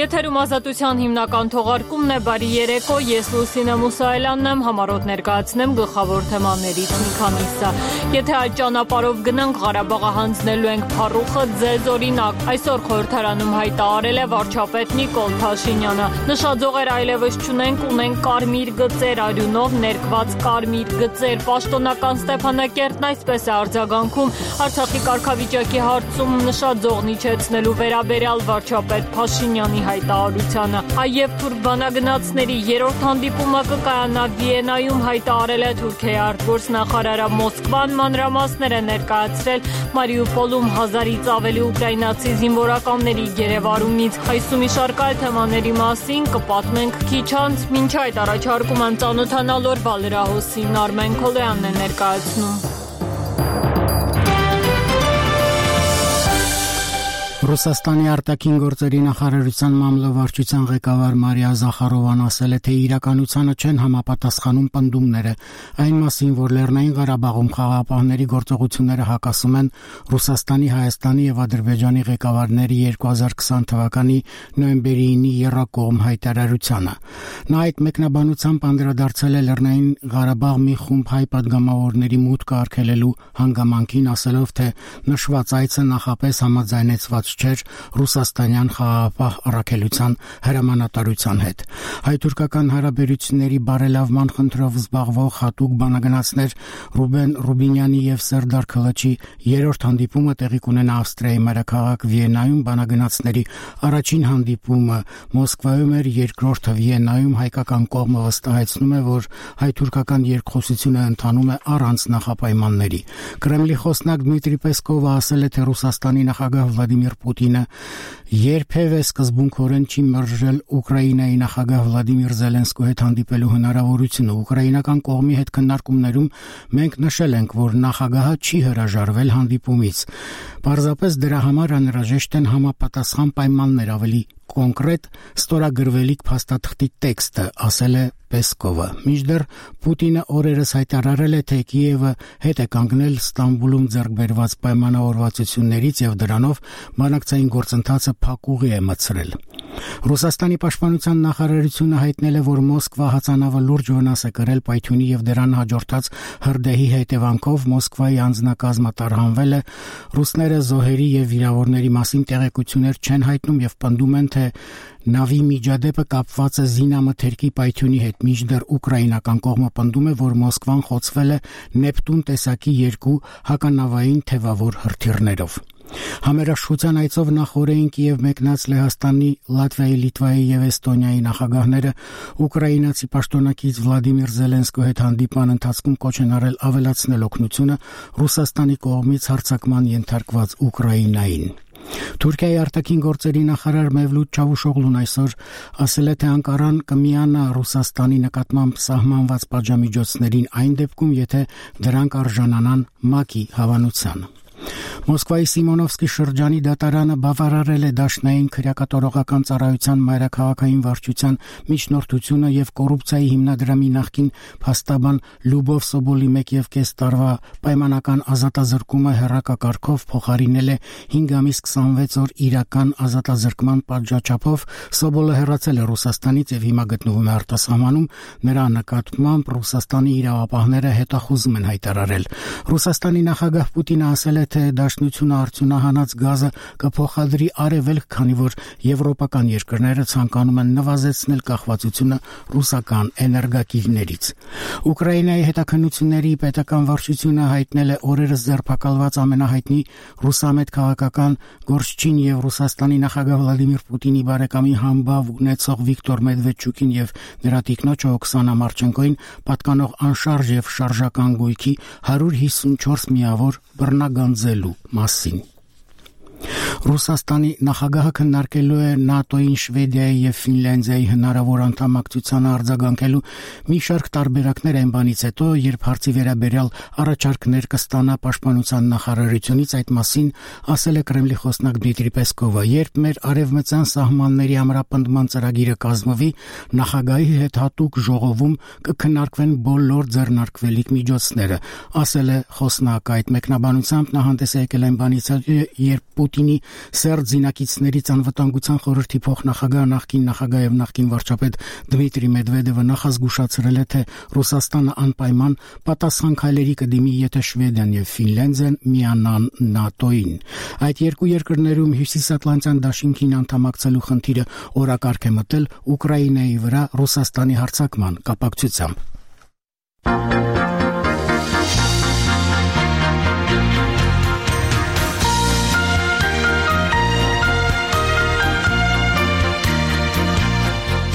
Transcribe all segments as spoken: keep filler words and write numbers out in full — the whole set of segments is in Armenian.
Եթերում Ազատության հիմնական թողարկումն է, բարի երեկո, ես Լուսինե Մուսայելյանն եմ, համառոտ ներկայացնեմ գլխավոր թեմաներից մի քանիսը։ Եթե այդ ճանապարհով գնանք, Ղարաբաղը հանձնելու ենք փառուխը ձեզ օրինակ։ Այսօր խորհրդարանում հայտարարել է վարչապետ Նիկոլ Փաշինյանը։ Նշաձողեր այլևս չունենք, ունենք կարմիր գծեր, արյունով ներկված կարմիր գծեր։ Պաշտոնական Ստեփանակերտն այսպես է արձագանքում Արցախի կարգավիճակի հարցում նշաձողն իջեցնելու վերաբերյալ վարչապետ Փաշինյանի հայտարարությանը։ Այև թուրք բանագնացների երրորդ հանդիպումը կկայանա Վիեննայում, հայտարարել է Թուրքիայի արտգործնախարարը։ Մոսկվան մանրամասներ է ներկայացրել Մարիուպոլում հազարից ավելի ուկրաինացի զինվորականների գերեվարումից։ Այսու մի շարք այլ թեմաների մասին կպատմենք քիչ անց, մինչ այդ առաջարկում եմ ծանոթանալ օրվա լրահոսին, Արմեն Քոլոյանն է ներկայացնում։ Ռուսաստանի արտաքին գործերի նախարարության մամլովարչության ղեկավար Մարիա Զախարովան ասել է, թե իրականությանը չեն համապատասխանում պնդումները այն մասին, որ Լեռնային Ղարաբաղում խաղաղապահների գործողությունները հակասում են Ռուսաստանի, Հայաստանի եւ Ադրբեջանի ղեկավարների երկու հազար քսան թվականի նոյեմբերի ինի եռակողմ հայտարարությանը։ Նա այդ մեկնաբանությամբ անդրադարձել է Լեռնային Ղարաբաղ մի խումբ հայ պատգամավորների մուտքը արգելելու հանգամանքին, ասելով, թե նշված այցը նախապես համաձայնեցված չէր ռուսաստանյան խաղաղապահ առաքելության հրամանատարության հետ։ Հայ-թուրքական հարաբերությունների բարելավման խնդրով զբաղվող հատուկ բանագնացներ Ռուբեն Ռուբինյանի եւ Սերդար Քլաչի երրորդ հանդիպումը տեղի կունենա Ավստրիայի մայրաքաղաք Վիեննայում, բանագնացների առաջին հանդիպումը Մոսկվայում էր, երկրորդը Վիեննայում։ Հայկական կողմը վստահեցնում է, որ հայ-թուրքական երկխոսությունը ընթանում է առանց նախապայմանների։ Կրեմլի խոսնակ Դմիտրի Պեսկովը ասել է, թե Ռուսաստանի նախագահ Վլադիմիր Պուտինը երբևէ սկզբունքորեն չի մերժել Ուկրաինայի նախագահ Վլադիմիր Զելենսկու հետ հանդիպելու հնարավորությունը։ Ուկրաինական կողմի հետ քննարկումներում մենք նշել ենք, որ նախագահը չի հրաժարվել հանդիպումից։ Պարզապես դրա համար անհրաժեշտ են համապատասխան պայմաններ, ավելի կոնկրետ ստորագրվելիք փաստաթղթի տեքստը, ասել է Պեսկովը։ Մինչդեռ Պուտինը օրերս հայտարարել է, թե Կիևը հետ է կանգնել Ստամբուլում ձեռք բերված պայմանավորվածություններից եւ դրանով բանակցային գործընթացը փակուղի է մտցրել։ Ռուսաստանի պաշտպանության նախարարությունը հայտնել է, որ Մոսկվա հացանավը լուրջ վնաս է կրել պայթյունի եւ դրան հաջորդած հրդեհի հետևանքով Մոսկվայի անձնակազմը տարհանվել է։ Ռուսները զոհերի եւ վիրավորների մասին տեղեկություններ չեն հայտնում եւ պնդում են, թե նավի միջադեպը կապված է զինամթերքի պայթյունի հետ, մինչդեռ ուկրաինական կողմը պնդում է, որ Մոսկվան խոցվել է Նեպտուն տեսակի երկու հականավային թևավոր հրթիռներով։ Համերաշխության այցով նախորդին Կիև մեկնած Լեհաստանի, Լատվիայի, Լիտվայի եւ Էստոնիայի նախագահները ուկրաինացի պաշտոնակից Վլադիմիր Զելենսկու հետ հանդիպման ընթացքում կոչ են արել ավելացնել օգնությունը Ռուսաստանի կողմից հարձակման ենթարկված Ուկրաինային։ Թուրքիայի արտաքին գործերի նախարար Մևլութ Չավուշօղլուն այսօր ասել է, թե Անկարան կմիանա Ռուսաստանի նկատմամբ սահմանված պատժամիջոցներին այն դեպքում, եթե դրանք արժանանան ՄԱԿ-ի հավանությանը։ Մոսկվայի Սիմոնովսկի շրջանի դատարանը բավարարել է Դաշնային քրեակատորողական ծառայության մայրաքաղաքային վարչության միջնորդությունը եւ կոռուպցիայի հիմնադրամի նախկին փաստաբան Լյուբով Սոբոլի մեկ եւ կես տարվա պայմանական ազատազրկումը հեռակակարգով փոխարինել է հինգ ամիս քսանվեց օր իրական ազատազրկման պատժաչափով։ Սոբոլը հեռացել է Ռուսաստանից եւ հիմա գտնվում է արտասահմանում։ Նրա նկատմամբ Ռուսաստանի իրավապահները հետախուզում են հայտարարել։ Ռուսաստանի նախագահ Պուտինը ասել է, թե Դաշնությունը արդյունահանած գազը կփոխադրի արևելք, քանի որ եվրոպական երկրները ցանկանում են նվազեցնել կախվածությունը ռուսական էներգակիրներից։ Ուկրաինայի հետաքննությունների պետական վարչությունը հայտնել է օրերս ձերբակալված ամենահայտնի ռուսամետ քաղաքական գործչին եւ Ռուսաստանի նախագահ Վլադիմիր Պուտինի բարեկամի համբավ ունեցող Վիկտոր Մեդվեդչուկին եւ նրա տիկնոջ Օքսանա Մարչենկոին պատկանող անշարժ եւ շարժական գույքի հարյուր հիսունչորս միավոր բռնագանձելու մասին։ Ռուսաստանի նախագահը քննարկելու է ՆԱՏՕ-ին, Շվեդիայի եւ Ֆինլանդիայի հնարավոր անդամակցությանը արձագանքելու մի շարք տարբերակներ այն բանից հետո, երբ հարցի վերաբերյալ առաջարկներ կստանա պաշտպանության նախարարությունից, այդ մասին ասել է Կրեմլի խոսնակ Դմիտրի Պեսկովը։ Երբ մեր արևմտյան սահմանների ամրապնդման ծրագիրը կազմվի, նախագահի հետ հատուկ ժողովում կքննարկվեն բոլոր ձեռնարկվելիք միջոցները, ասել է խոսնակը։ Այդ մեկնաբանությամբ նա հանդես է եկել այն բանից, երբ Պուտինի Սերտ զինակիցներից անվտանգության խորհրդի փոխնախագահ նախկին նախագահ եւ նախկին վարչապետ Դմիտրի Մեդվեդևը նախազգուշացրել է, թե Ռուսաստանը անպայման պատասխան քայլերի կդիմի, եթե Շվեդիան եւ Ֆինլանդիան միանան ՆԱՏՕ-ին։ Այդ երկու երկրներում Հյուսիսատլանտյան դաշինքին անդամակցելու խնդիրը օրակարգ է մտել Ուկրաինայի վրա Ռուսաստանի հարձակման կապակցությամբ։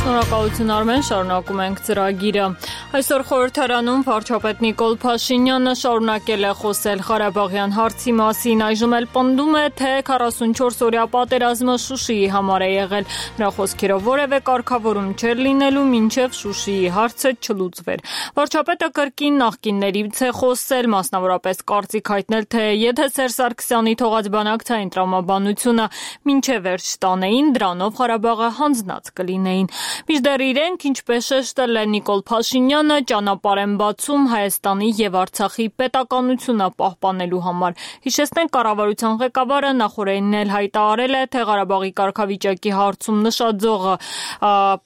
Շնորհակալություն Արմեն, շարունակում ենք ծրագիրը։ Այսօր խորհրդարանում վարչապետ Նիկոլ Փաշինյանը շարունակել է խոսել Ղարաբաղյան հարցի մասին, այժմ էլ պնդում է, թե քառասունչորս օրյա պատերազմը Շուշիի համար է եղել։ Նրա խոսքերով որևէ կարգավորում չէր լինելու, մինչև Շուշիի հարցը չլուծվեր։ Վարչապետը կրկին նախկիններից է խոսել, մասնավորապես կարծիք հայտնել, թե եթե Սերժ Սարգսյանի թողած բանակցային տրամաբանությունը մինչև վերջ տանեին, դրանով Ղարաբաղը հանձնած կլինեին։ Մինչդեռ իրենք, ինչպես շեշտել է Նիկոլ Փաշինյանը, ճանապարհ են բացում Հայաստանի եւ Արցախի պետականությունը պահպանելու համար։ Հիշեցնենք, կառավարության ղեկավարը նախորդին էլ հայտարարել է, թե Ղարաբաղի կարգավիճակի հարցում նշաձողը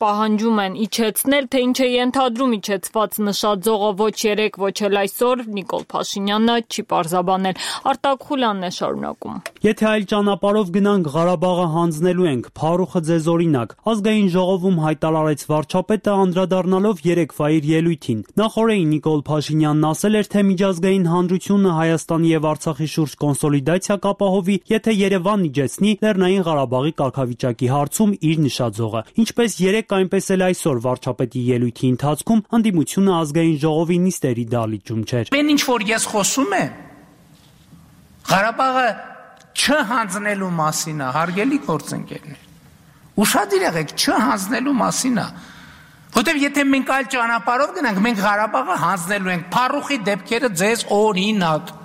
պահանջում են իջեցնել, թե ինչ է ենթադրում իջեցված նշաձողը ոչ երեք, ոչ էլ այսօր, Նիկոլ Փաշինյանը չի պարզաբանել։ Արտակ Խուլյանն է շարունակում։ Եթե այլ ճանապարհով գնանք, Ղարաբաղը հանձնելու ենք, Փարուխը ձեզ օրինակ։ Ազգային ժողովում հայտարարեց վարչապետը, անդրադառնալով երեկվա իր ելույթին։ Նախորդին Նիկոլ Փաշինյանն ասել էր, թե միջազգային հանրությունը Հայաստանի եւ Արցախի շուրջ կոնսոլիդացիա կապահովի, եթե Երևանն իջեցնի Լեռնային Ղարաբաղի կարգավիճակի հարցում իր նշաձողը։ Ինչպես երեկ, այնպես էլ այսօր վարչապետի ելույթի ընթացքում անդիմությունը ազգային ժողովի նիստերի դահլիճում չէր։ Բեն ինչ որ ես խոսում եմ, Ղարաբաղը չհանձնելու մասին է, հարգելի գործընկերներ։ Ուշադիր եղեք, չհանձնելու մասին է, որտեղ եթե մենք այլ ճանապարհով գնանք, մենք Ղարաբաղը հանձնելու ենք, Փարուխի դեպքերը ձեզ օրինակ։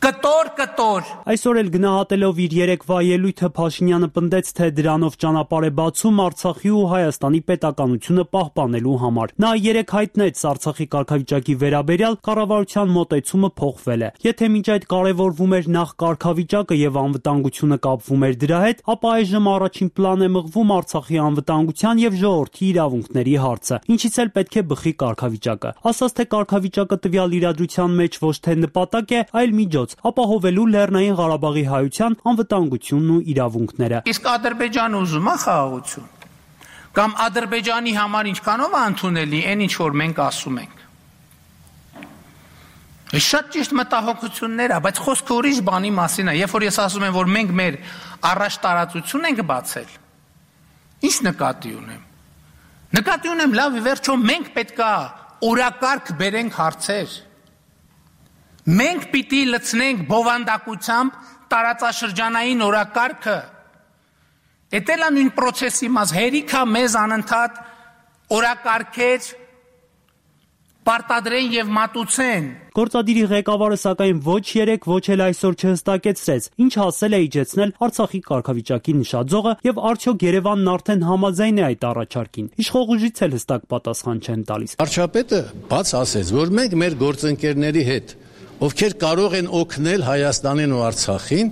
Կտոր, կտոր։ Այսօր էլ գնահատելով իր երեկվա ելույթը Փաշինյանը պնդեց, թե դրանով ճանապարհ է բացում Արցախի ու Հայաստանի պետականությունը պահպանելու համար։ Նա երեք հայտնեց Արցախի կարգավիճակի վերաբերյալ կառավարության մոտեցումը փոխվել է։ Եթե մինչ այդ կարևորվում էր նախ կարգավիճակը եւ անվտանգությունը կապվում էր դրա հետ, ապա այժմ առաջին պլան է մղվում Արցախի անվտանգության եւ ժողովրդի իրավունքների հարցը, ինչից էլ պետք է բխի կարգավիճակը։ Ասած թե կարգավիճակը տվյալ իրադրության մեջ ոչ թե նպատակ է, այլ միջոց, ապահովելու Լեռնային Ղարաբաղի հայության անվտանգությունն ու իրավունքները։ Իսկ Ադրբեջանը ուզում է խաղաղություն։ Կամ Ադրբեջանի համար ինչքանով է ընդունելի այն ինչ որ մենք ասում ենք։ Շատ ճիշտ մտահոգություններ է, բայց խոսքը ուրիշ բանի մասին է։ Երբ որ ես ասում եմ, որ մենք մեր առաջ տարածություն ենք բացել, ինչ նկատի ունեմ։ Նկատի ունեմ, լավ, ի վերջո մենք պետքա օրակարգ բերենք հարցեր։ Մենք պիտի լցնենք բովանդակությամբ տարածաշրջանային օրակարգը։ Էտելա նույն պրոցեսի մաս հերիքա մեզ անընդհատ օրակարգեր պարտադրեն եւ մատուցեն։ Գործադիրի ղեկավարը սակայն ոչ երեք, ոչ էլ այսօր չհստակեցրեց, ինչ հասել է իջեցնել Արցախի կարգավիճակի նշաձողը եւ արդյոք Երևանն արդեն համաձայն է այդ առաջարկին։ Իշխող ուժից էլ հստակ պատասխան չեն տալիս։ Վարչապետը բաց ասեց, որ մենք մեր գործընկերների հետ, ովքեր կարող են օգնել Հայաստանին ու Արցախին,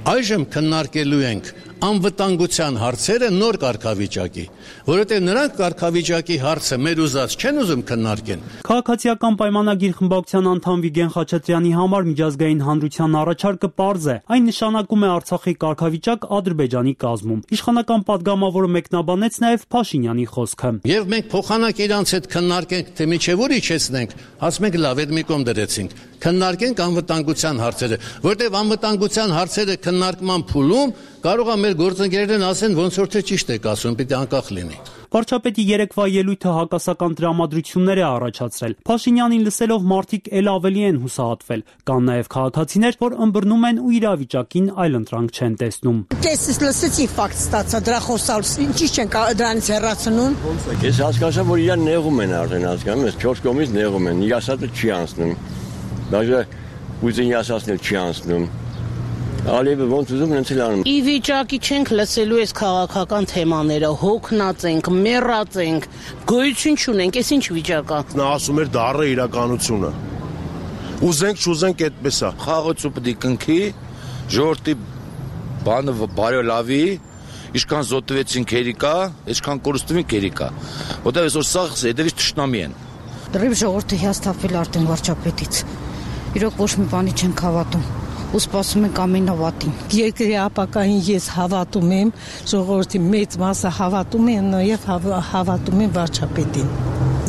այժմ քննարկելու ենք անվտանգության հարցերը նոր կարգավիճակի, որովհետև նրանք կարգավիճակի հարցը մեր ուզած չեն ուզում քննարկեն։ Քաղաքացիական պայմանագիր խմբակցության անդամ Վիգեն Խաչատրյանի համար միջազգային հանրության առաջարկը պարզ է, այն նշանակում է Արցախի կարգավիճակ Ադրբեջանի կազմում։ Իշխանական падգամավորը մեկնաբանեց նաև Փաշինյանի խոսքը։ Եվ մենք փոխանակ իրանց հետ քննարկենք, թե միջև ուր իջեցնենք, ասում ենք լավ, այդ մի կողմ դրեցինք։ Քննարկենք անվտանգության հարցերը, որտեղ անվտանգության հարցերը քննարկման փուլում կարող է մեր գործընկերներն ասեն, ոնց որ թե ճիշտ եք ասում, պիտի անկախ լինի։ Վարչապետի երեկվա ելույթը հակասական տրամադրություններ է առաջացրել։ Փաշինյանին լսելով մարդիկ էլ ավելի են հուսահատվել։ Կան նաև քաղաքացիներ, որ ըմբռնում են ու իրավիճակին այլընտրանք չեն տեսնում։ Ես լսեցի ֆակտ ստացա, դրա խոսալուց ինչի չեն դրանից հեռացնում։ Ես հասկացա, որ իրան նեղում են արդեն, հասկանում ես, չորս կողմից նեղում են։ Ասածը չի անցնում։ Даже ուզեն ասածն չի անցնում։ Ալիևը ոնց ուզում են ցել անում։ Ի վիճակի չենք լսելու այս քաղաքական թեմաները, հոգնած ենք, մեռած ենք, գոյություն չունենք, այս ինչ վիճակ է։ Նա ասում էր դա առը իրականությունը։ Ուզենք, չուզենք, այդպես է։ Խաղացու պետք է կնքի, ժողովրդի բանը բարելավի, ինչքան զոհվեցին քերիկա, ինչքան կորստվին քերիկա։ Որտեղ այսօր սա հետևից թշնամի են։ Դրիվ ժողովուրդը հիասթափվել Արտեմ վարչապետից։ Իրոք ոչ մի բանի չենք հավատում։ Ու սպասում ենք ամենավատին։ Երկրի ապակային ես հավատում եմ, ժողովրդի մեծ մասը հավատում են, նաև հավատում են վարչապետին։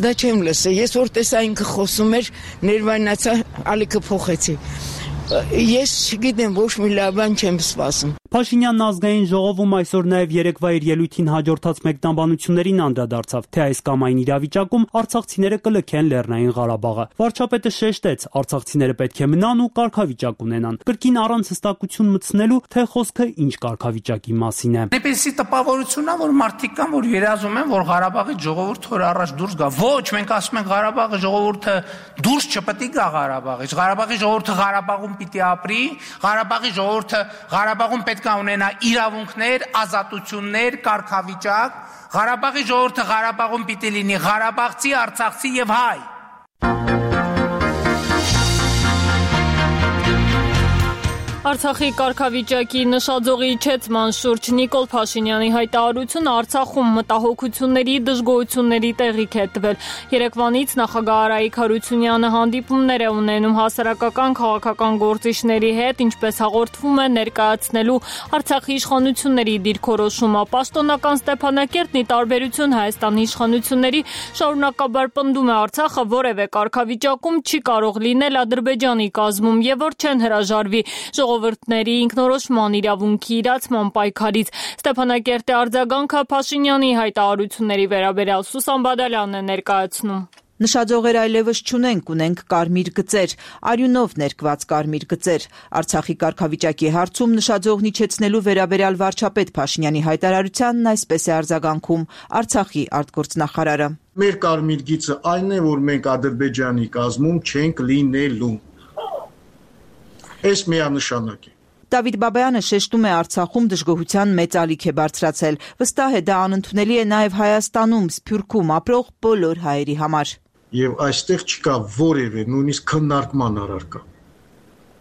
Դա չեմ լսել, ես որ տեսա ինքը խոսում էր, ներվայնացա, ալիքը փոխեցի։ Ես չգիտեմ, ոչ մի լավ բան չեմ սպասում։ Փաշինյանն ազգային ժողովում այսօր նաև երեկվա իր ելույթին հաջորդած մեկնաբանություններին անդրադարձավ, թե այս կամ այն իրավիճակում արցախցիները կլքեն Լեռնային Ղարաբաղը։ Վարչապետը շեշտեց, արցախցիները պետք է մնան ու կարգավիճակ ունենան, կրկին առանց հստակություն մտցնելու, թե խոսքը ինչ կարգավիճակի մասին է։ Այնպեսի տպավորություն է, որ մարդիկ կան, որ երազում են, որ Ղարաբաղի ժողովուրդը որ առաջ դուրս գա։ Ոչ, մենք ասում ենք Ղարաբաղի ժողովուրդը դուրս չպետք է գա Ղարաբաղից։ Ղարաբաղի ժողովուրդը Ղարաբաղում պիտի ապրի, Ղարաբաղի ժողովուրդը Ղարաբաղում պետք է ունենա իրավունքներ, ազատություններ, կարգավիճակ։ Ղարաբաղի ժողովուրդը Ղարաբաղում պիտի լինի ղարաբաղցի, արցախցի եւ հայ։ Արցախի կարգավիճակի նշաձողի իջեցման շուրջ Նիկոլ Փաշինյանի հայտարարությունը Արցախում մտահոգությունների, դժգոհությունների տեղիք է տվել։ Երեկվանից նախագահ Արայիկ Հարությունյանը հանդիպումներ է ունենում հասարակական քաղաքական գործիչների հետ, ինչպես հաղորդվում է ներկայացնելու Արցախի իշխանությունների դիրքորոշումը։ Պաշտոնական Ստեփանակերտն ի տարբերություն Հայաստանի իշխանությունների շարունակաբար պնդում է Արցախը որևէ կարգավիճակում չի կարող լինել Ադրբեջանի կազմում եւ որ չեն հրաժարվի ժողովուրդների ինքնորոշման իրավունքի իրացման պայքարից։ Ստեփանակերտի արձագանքը Փաշինյանի հայտարարությունների վերաբերյալ Սուսան Բադալյանն է ներկայացնում։ Նշաձողեր այլևս չունենք, ունենք կարմիր գծեր, արյունով ներկված կարմիր գծեր։ Արցախի կարգավիճակի հարցում նշաձողն իջեցնելու վերաբերյալ վարչապետ Փաշինյանի հայտարարությանն այսպես է արձագանքում Արցախի արտգործնախարարը։ Մեր կարմիր գիծը այն է, որ մենք Ադրբեջանի կազմում չենք լինելու։ Այս միանշանակ է։ Դավիթ Բաբայանը շեշտում է Արցախում դժգոհության մեծ ալիք է բարձրացել։ Վստահ է դա անընդունելի է նաև Հայաստանում, Սփյուռքում ապրող բոլոր հայերի համար։ Եվ այստեղ չկա որևէ նույնիսկ քննարկման առարկա։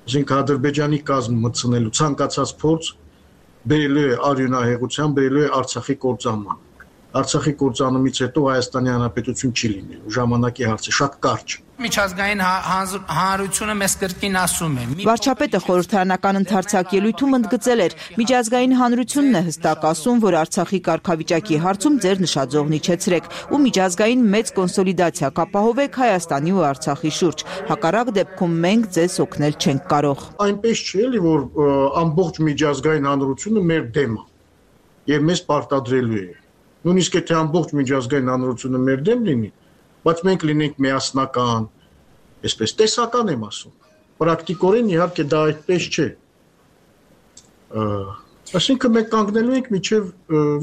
Այսինքն Ադրբեջանի կազմ մտցնելու ցանկացած փորձ բերելու է արյունահեղության, բերելու է Արցախի կործանման։ Արցախի կործանումից հետո Հայաստանի Հանրապետություն չի լինելու, ժամանակի հարց է, շատ կարճ։ Միջազգային հանրությունը մեզ կրկին ասում է։ Վարչապետը խորհրդարանական ընդարձակ ելույթում ընդգծել էր, միջազգային հանրությունն է հստակ ասում, որ Արցախի կարգավիճակի հարցում ձեր նշաձողն իջեցրեք ու միջազգային մեծ կոնսոլիդացիա կապահովեք Հայաստանի ու Արցախի շուրջ։ Հակառակ դեպքում մենք ձեզ օգնել չենք կարող։ Այնպես չէ, էլի որ ամբողջ միջազգային հանրությունը մեր դեմ է եւ մեզ պարտադրելու է։ Նույնիսկ եթե ամբողջ միջազգային հանրությունը մեր դեմ լինի, բայց մենք լինենք միասնական, այսպես տեսական եմ ասում։ Պրակտիկորեն իհարկե դա այդպես չէ։ Այսինքն մենք կանգնելու ենք մինչև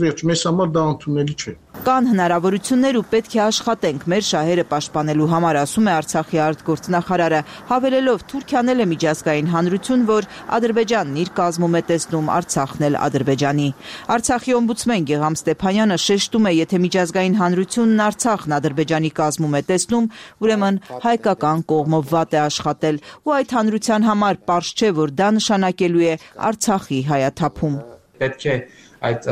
վերջ, մեզ համար դա ընդունելի չէ։ Կան հնարավորություններ ու պետք է աշխատենք մեր շահերը պաշտպանելու համար, ասում է Արցախի արտգործնախարարը, հավելելով Թուրքիան էլ է միջազգային հանրություն, որ Ադրբեջանն իր կազմում է տեսնում, Արցախն էլ Ադրբեջանի։ Արցախի օմբուդսմեն Գեգամ Ստեփանյանը շեշտում է, եթե միջազգային հանրությունն Արցախն Ադրբեջանի կազմում է տեսնում, ուրեմն հայկական կողմը վատ է աշխատել, ու այդ հանրության համար պարզ չէ, որ դա նշանակելու է Արցախի հայաթափում։ Պետք է այդ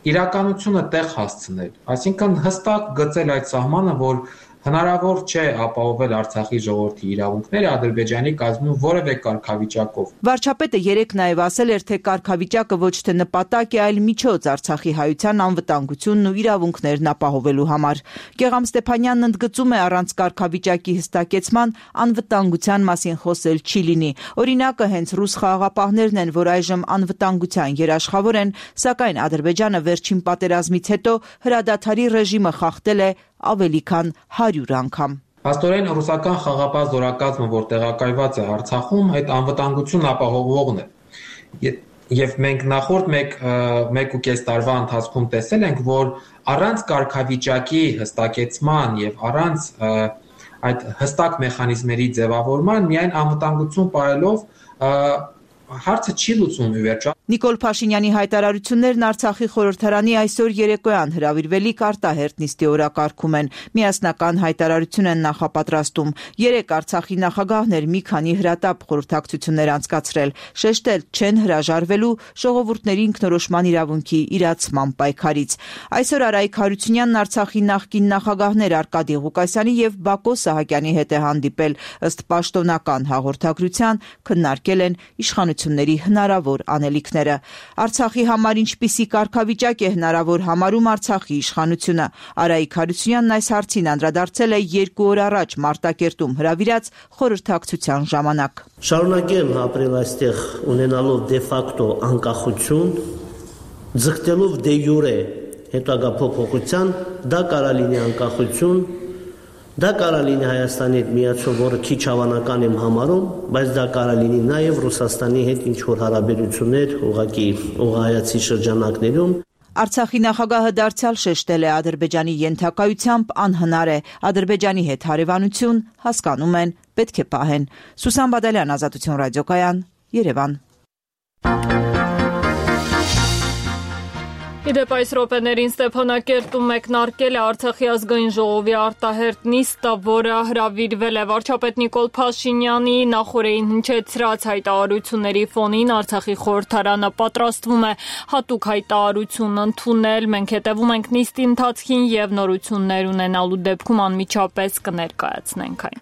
իրականությունը տեղ հասցնել, այսինքն հստակ գծել այդ սահմանը, որ հնարավոր չէ ապահովել Արցախի ժողովրդի իրավունքները Ադրբեջանի կազմում որևէ կարգավիճակով։ Վարչապետը երեկ նաև ասել էր, թե կարգավիճակը ոչ թե նպատակ է, այլ միջոց Արցախի հայության անվտանգությունն ու իրավունքներն ապահովելու համար։ Գեգամ Ստեփանյանն ընդգծում է, առանց կարգավիճակի հստակեցման անվտանգության մասին խոսել չի լինի։ Օրինակը հենց ռուս խաղաղապահներն են, որ այժմ անվտանգության երաշխավոր են, սակայն Ադրբեջանը վերջին պատերազմից հետո հրադադարի ռեժիմը խախտել է ավելի քան հարյուր անգամ։ Փաստորեն ռուսական խաղապահ զորակազմը, որ տեղակայված է Արցախում, այդ անվտանգությունն ապահովողն է։ Եվ մենք նախորդ մեկ ու կես տարվա ընթացքում տեսել ենք, որ առանց կարգավիճակի հստակեցման եւ առանց այդ հստակ մեխանիզմերի ձևավորման միայն անվտանգություն պահելով հարցը չի լուծվում ի վերջո։ Նիկոլ Փաշինյանի հայտարարություններն Արցախի խորհրդարանի այսօր երեկոյան հրավիրվելիք արտահերթ նիստի օրակարգում են։ Միասնական հայտարարություն են նախապատրաստում։ Երեք Արցախի նախագահներ մի քանի հրատապ խորհրդակցություններ անցկացրել, շեշտել չեն հրաժարվելու ժողովուրդների ինքնորոշման իրավունքի իրացման պայքարից։ Այսօր Արայիկ Հարությունյանն Արցախի նախկին նախագահներ Արկադի Ղուկասյանի եւ Բակո Սահակյանի հետ է հանդիպել, ըստ պաշտոնական հաղորդագրության քննարկել են իշխանությունների հնարավոր անելիքներ։ Արցախի համար ինչպիսի կարգավիճակ է հնարավոր համարում Արցախի իշխանությունը։ Արայիկ Հարությունյանն այս հարցին անդրադարձել է երկու օր առաջ Մարտակերտում հրավիրած խորհրդակցության ժամանակ։ Շարունակեմ ապրել այստեղ ունենալով դե ֆակտո անկախություն, ձգտելով դե յուրե հետագա փոփոխության, դա կարա լինի անկախություն, դա կարա լինի Հայաստանի հետ միացում, որը քիչ հավանական եմ համարում, բայց դա կարա լինի նաև Ռուսաստանի հետ ինչ-որ հարաբերություններ ուղղակի ուղղահայացի շրջանակներում։ Արցախի նախագահը դարձյալ շեշտել է Ադրբեջանի ենթակայությամբ անհնար է, Ադրբեջանի հետ հարևանություն հասկանում են, պետք է պահեն։ Սուսան Բադալյան, Ազատություն ռադիոկայան, Երևան։ Իդեպ այս րոպեներին Ստեփանակերտում մեկնարկել է Արցախի ազգային ժողովի արտահերթ նիստը, որը հրավիրվել է վարչապետ Նիկոլ Փաշինյանի նախօրեին հնչեցրած հայտարարությունների ֆոնին Արցախի խորհրդարանը պատրաստվում է հատուկ հայտարարություն ընդունել։ Մենք հետևում ենք նիստի ընթացքին եւ նորություններ ունենալու դեպքում անմիջապես կներկայացնենք այն։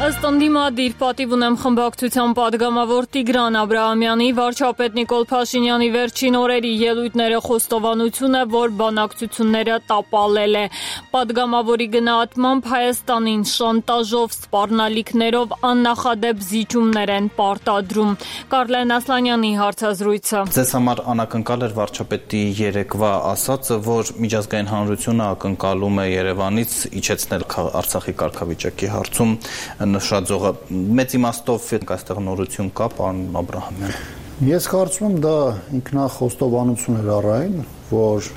Ըստ ընդդիմադիր պատիվ ունեմ խմբակցության падգամավոր Տիգրան Աբրահամյանի, վարչապետ Նիկոլ Փաշինյանի վերջին օրերի ելույթները խոստովանություն է, որ բանակցությունները տապալել է։ Падգամավորի գնահատմամբ Հայաստանին շանտաժով, սպառնալիքներով աննախադեպ զիջումներ են պարտադրում։ Կարլեն Ասլանյանի հարցազրույցը։ Ձեզ համար անակնկալ էր վարչապետի երեկվա ասածը, որ միջազգային հանրությունը ակնկալում է Երևանից իջեցնել Արցախի կարգավիճակի հարցում նշածողը։ Մեծ իմաստով այստեղ նորություն կա, պարոն Աբրահամյան։ Ես կարծում եմ դա ինքնախոստովանություն էր առայն, որ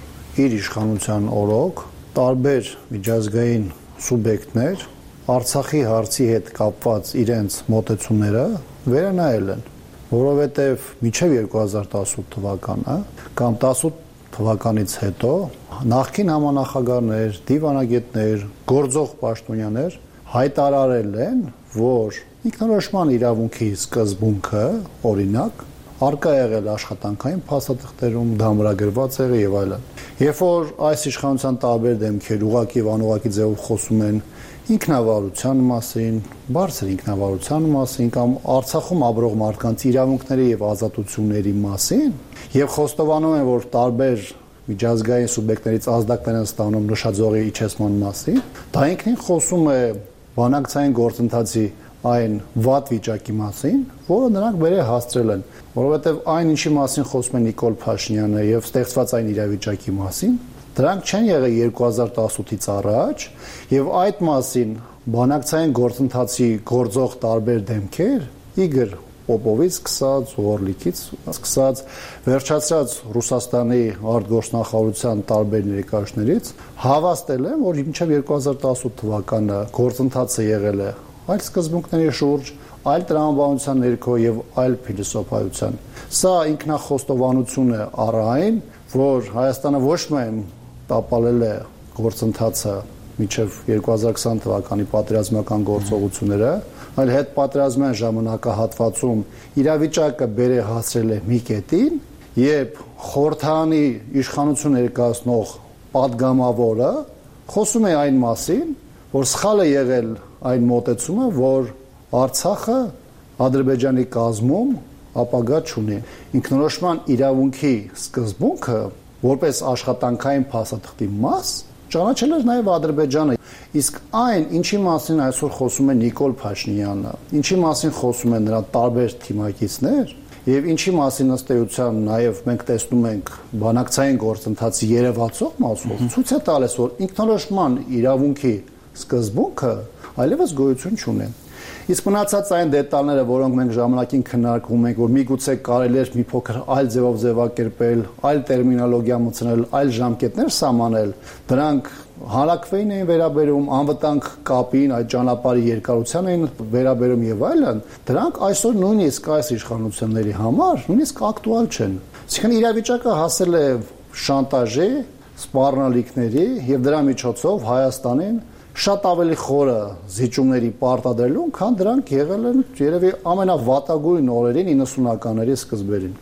իր իշխանության օրոք տարբեր միջազգային սուբյեկտներ Արցախի հարցի հետ կապված իրենց մոտեցումները վերանայել են, որովհետև մինչև երկու հազար տասութ թվականը կամ տասութ թվականից հետո նախկին համանախագահներ, դիվանագետներ, գործող պաշտոնյաներ հայտարարել են, որ ինքնորոշման իրավունքի սկզբունքը, օրինակ, արկա եղել աշխատանքային փաստաթղթերում, դամրագրված եղել եւ այլն։ Երբ որ այս իշխանության տարբեր դեմքեր ուղղակի եւ անուղղակի ձևով խոսում են ինքնավարության մասին, բարձր ինքնավարության մասին կամ Արցախում ապրող մարդկանց իրավունքների եւ ազատությունների մասին, եւ խոստովանում են, որ տարբեր միջազգային սուբյեկտներից ազդակներ են ստանում նշաձողի իջեցման մասին, դա ինքնին խոսում է բանակցային գործընթացի այն վատ վիճակի մասին, որը նրանք բերե հասցրել են, որովհետև այն ինչի մասին խոսում է Նիկոլ Փաշինյանը եւ ստեղծված այն իրավիճակի մասին, դրանք չեն եղել երկու հազար տասութից առաջ եւ այդ մասին բանակցային գործընթացի գործող տարբեր դեմքեր, Իգոր Պոպովից սկսած, Օրլիկից սկսած, վերջացած Ռուսաստանի արտգործնախարարության տարբեր ներկայացներից հավաստել են, որ մինչև երկու հազար տասութ թվականը գործընթացը եղել է այլ սկզբունքների շուրջ, այլ տրամաբանության ներքո եւ այլ փիլիսոփայության։ Սա ինքնախոստովանություն է առ այն, որ Հայաստանը ոչ միայն տապալել է գործընթացը մինչև երկու հազար քսան թվականի պատերազմական գործողությունները, այլ հետ պատերազմյան ժամանակահատվածում իրավիճակը բերե հասրել է մի կետին, երբ խորհրդարանի իշխանություն ներկայացնող падգամավորը խոսում է այն մասին, որ սխալ է եղել այն մոտեցումը, որ Արցախը Ադրբեջանի կազմում ապագա չունի։ Ինքնորոշման իրավունքի սկզբունքը որպես աշխատանքային փաստաթղթի մաս ճանաչել էր նաև Ադրբեջանը, իսկ այն, ինչի մասին այսօր խոսում է Նիկոլ Փաշինյանը, ինչի մասին խոսում են նրա տարբեր թիմակիցներ, եւ ինչի մասին ըստ էության նաև մենք տեսնում ենք բանակցային գործընթացի երևացող մասով, ցույց է տալիս, որ ինքնորոշման իրավունքի սկզբունքը այլևս գոյություն չունի։ Իսկ մնացած այն դետալները, որոնք մենք ժամանակին քննարկում ենք, որ միգուցե կարելի էր մի փոքր այլ ձևով ձևակերպել, այլ տերմինոլոգիա մտցնել, այլ ժամկետներ սահմանել, դրանք հանրակրվեին էին վերաբերում, անվտանգ կապին, այդ ճանապարհի երկարության էին վերաբերում եւ այլն, դրանք այսօր նույնիսկ այս իշխանությունների համար նույնիսկ ակտուալ չեն։ Այսինքն իրավիճակը հասել է շանտաժի, սպառնալիքների եւ դրա միջոցով Հայաստանին շատ ավելի խորը զիջումների պարտադրելուն, քան դրանք եղել են երևի ամենավատագույն օրերին իննսունականների սկզբերին։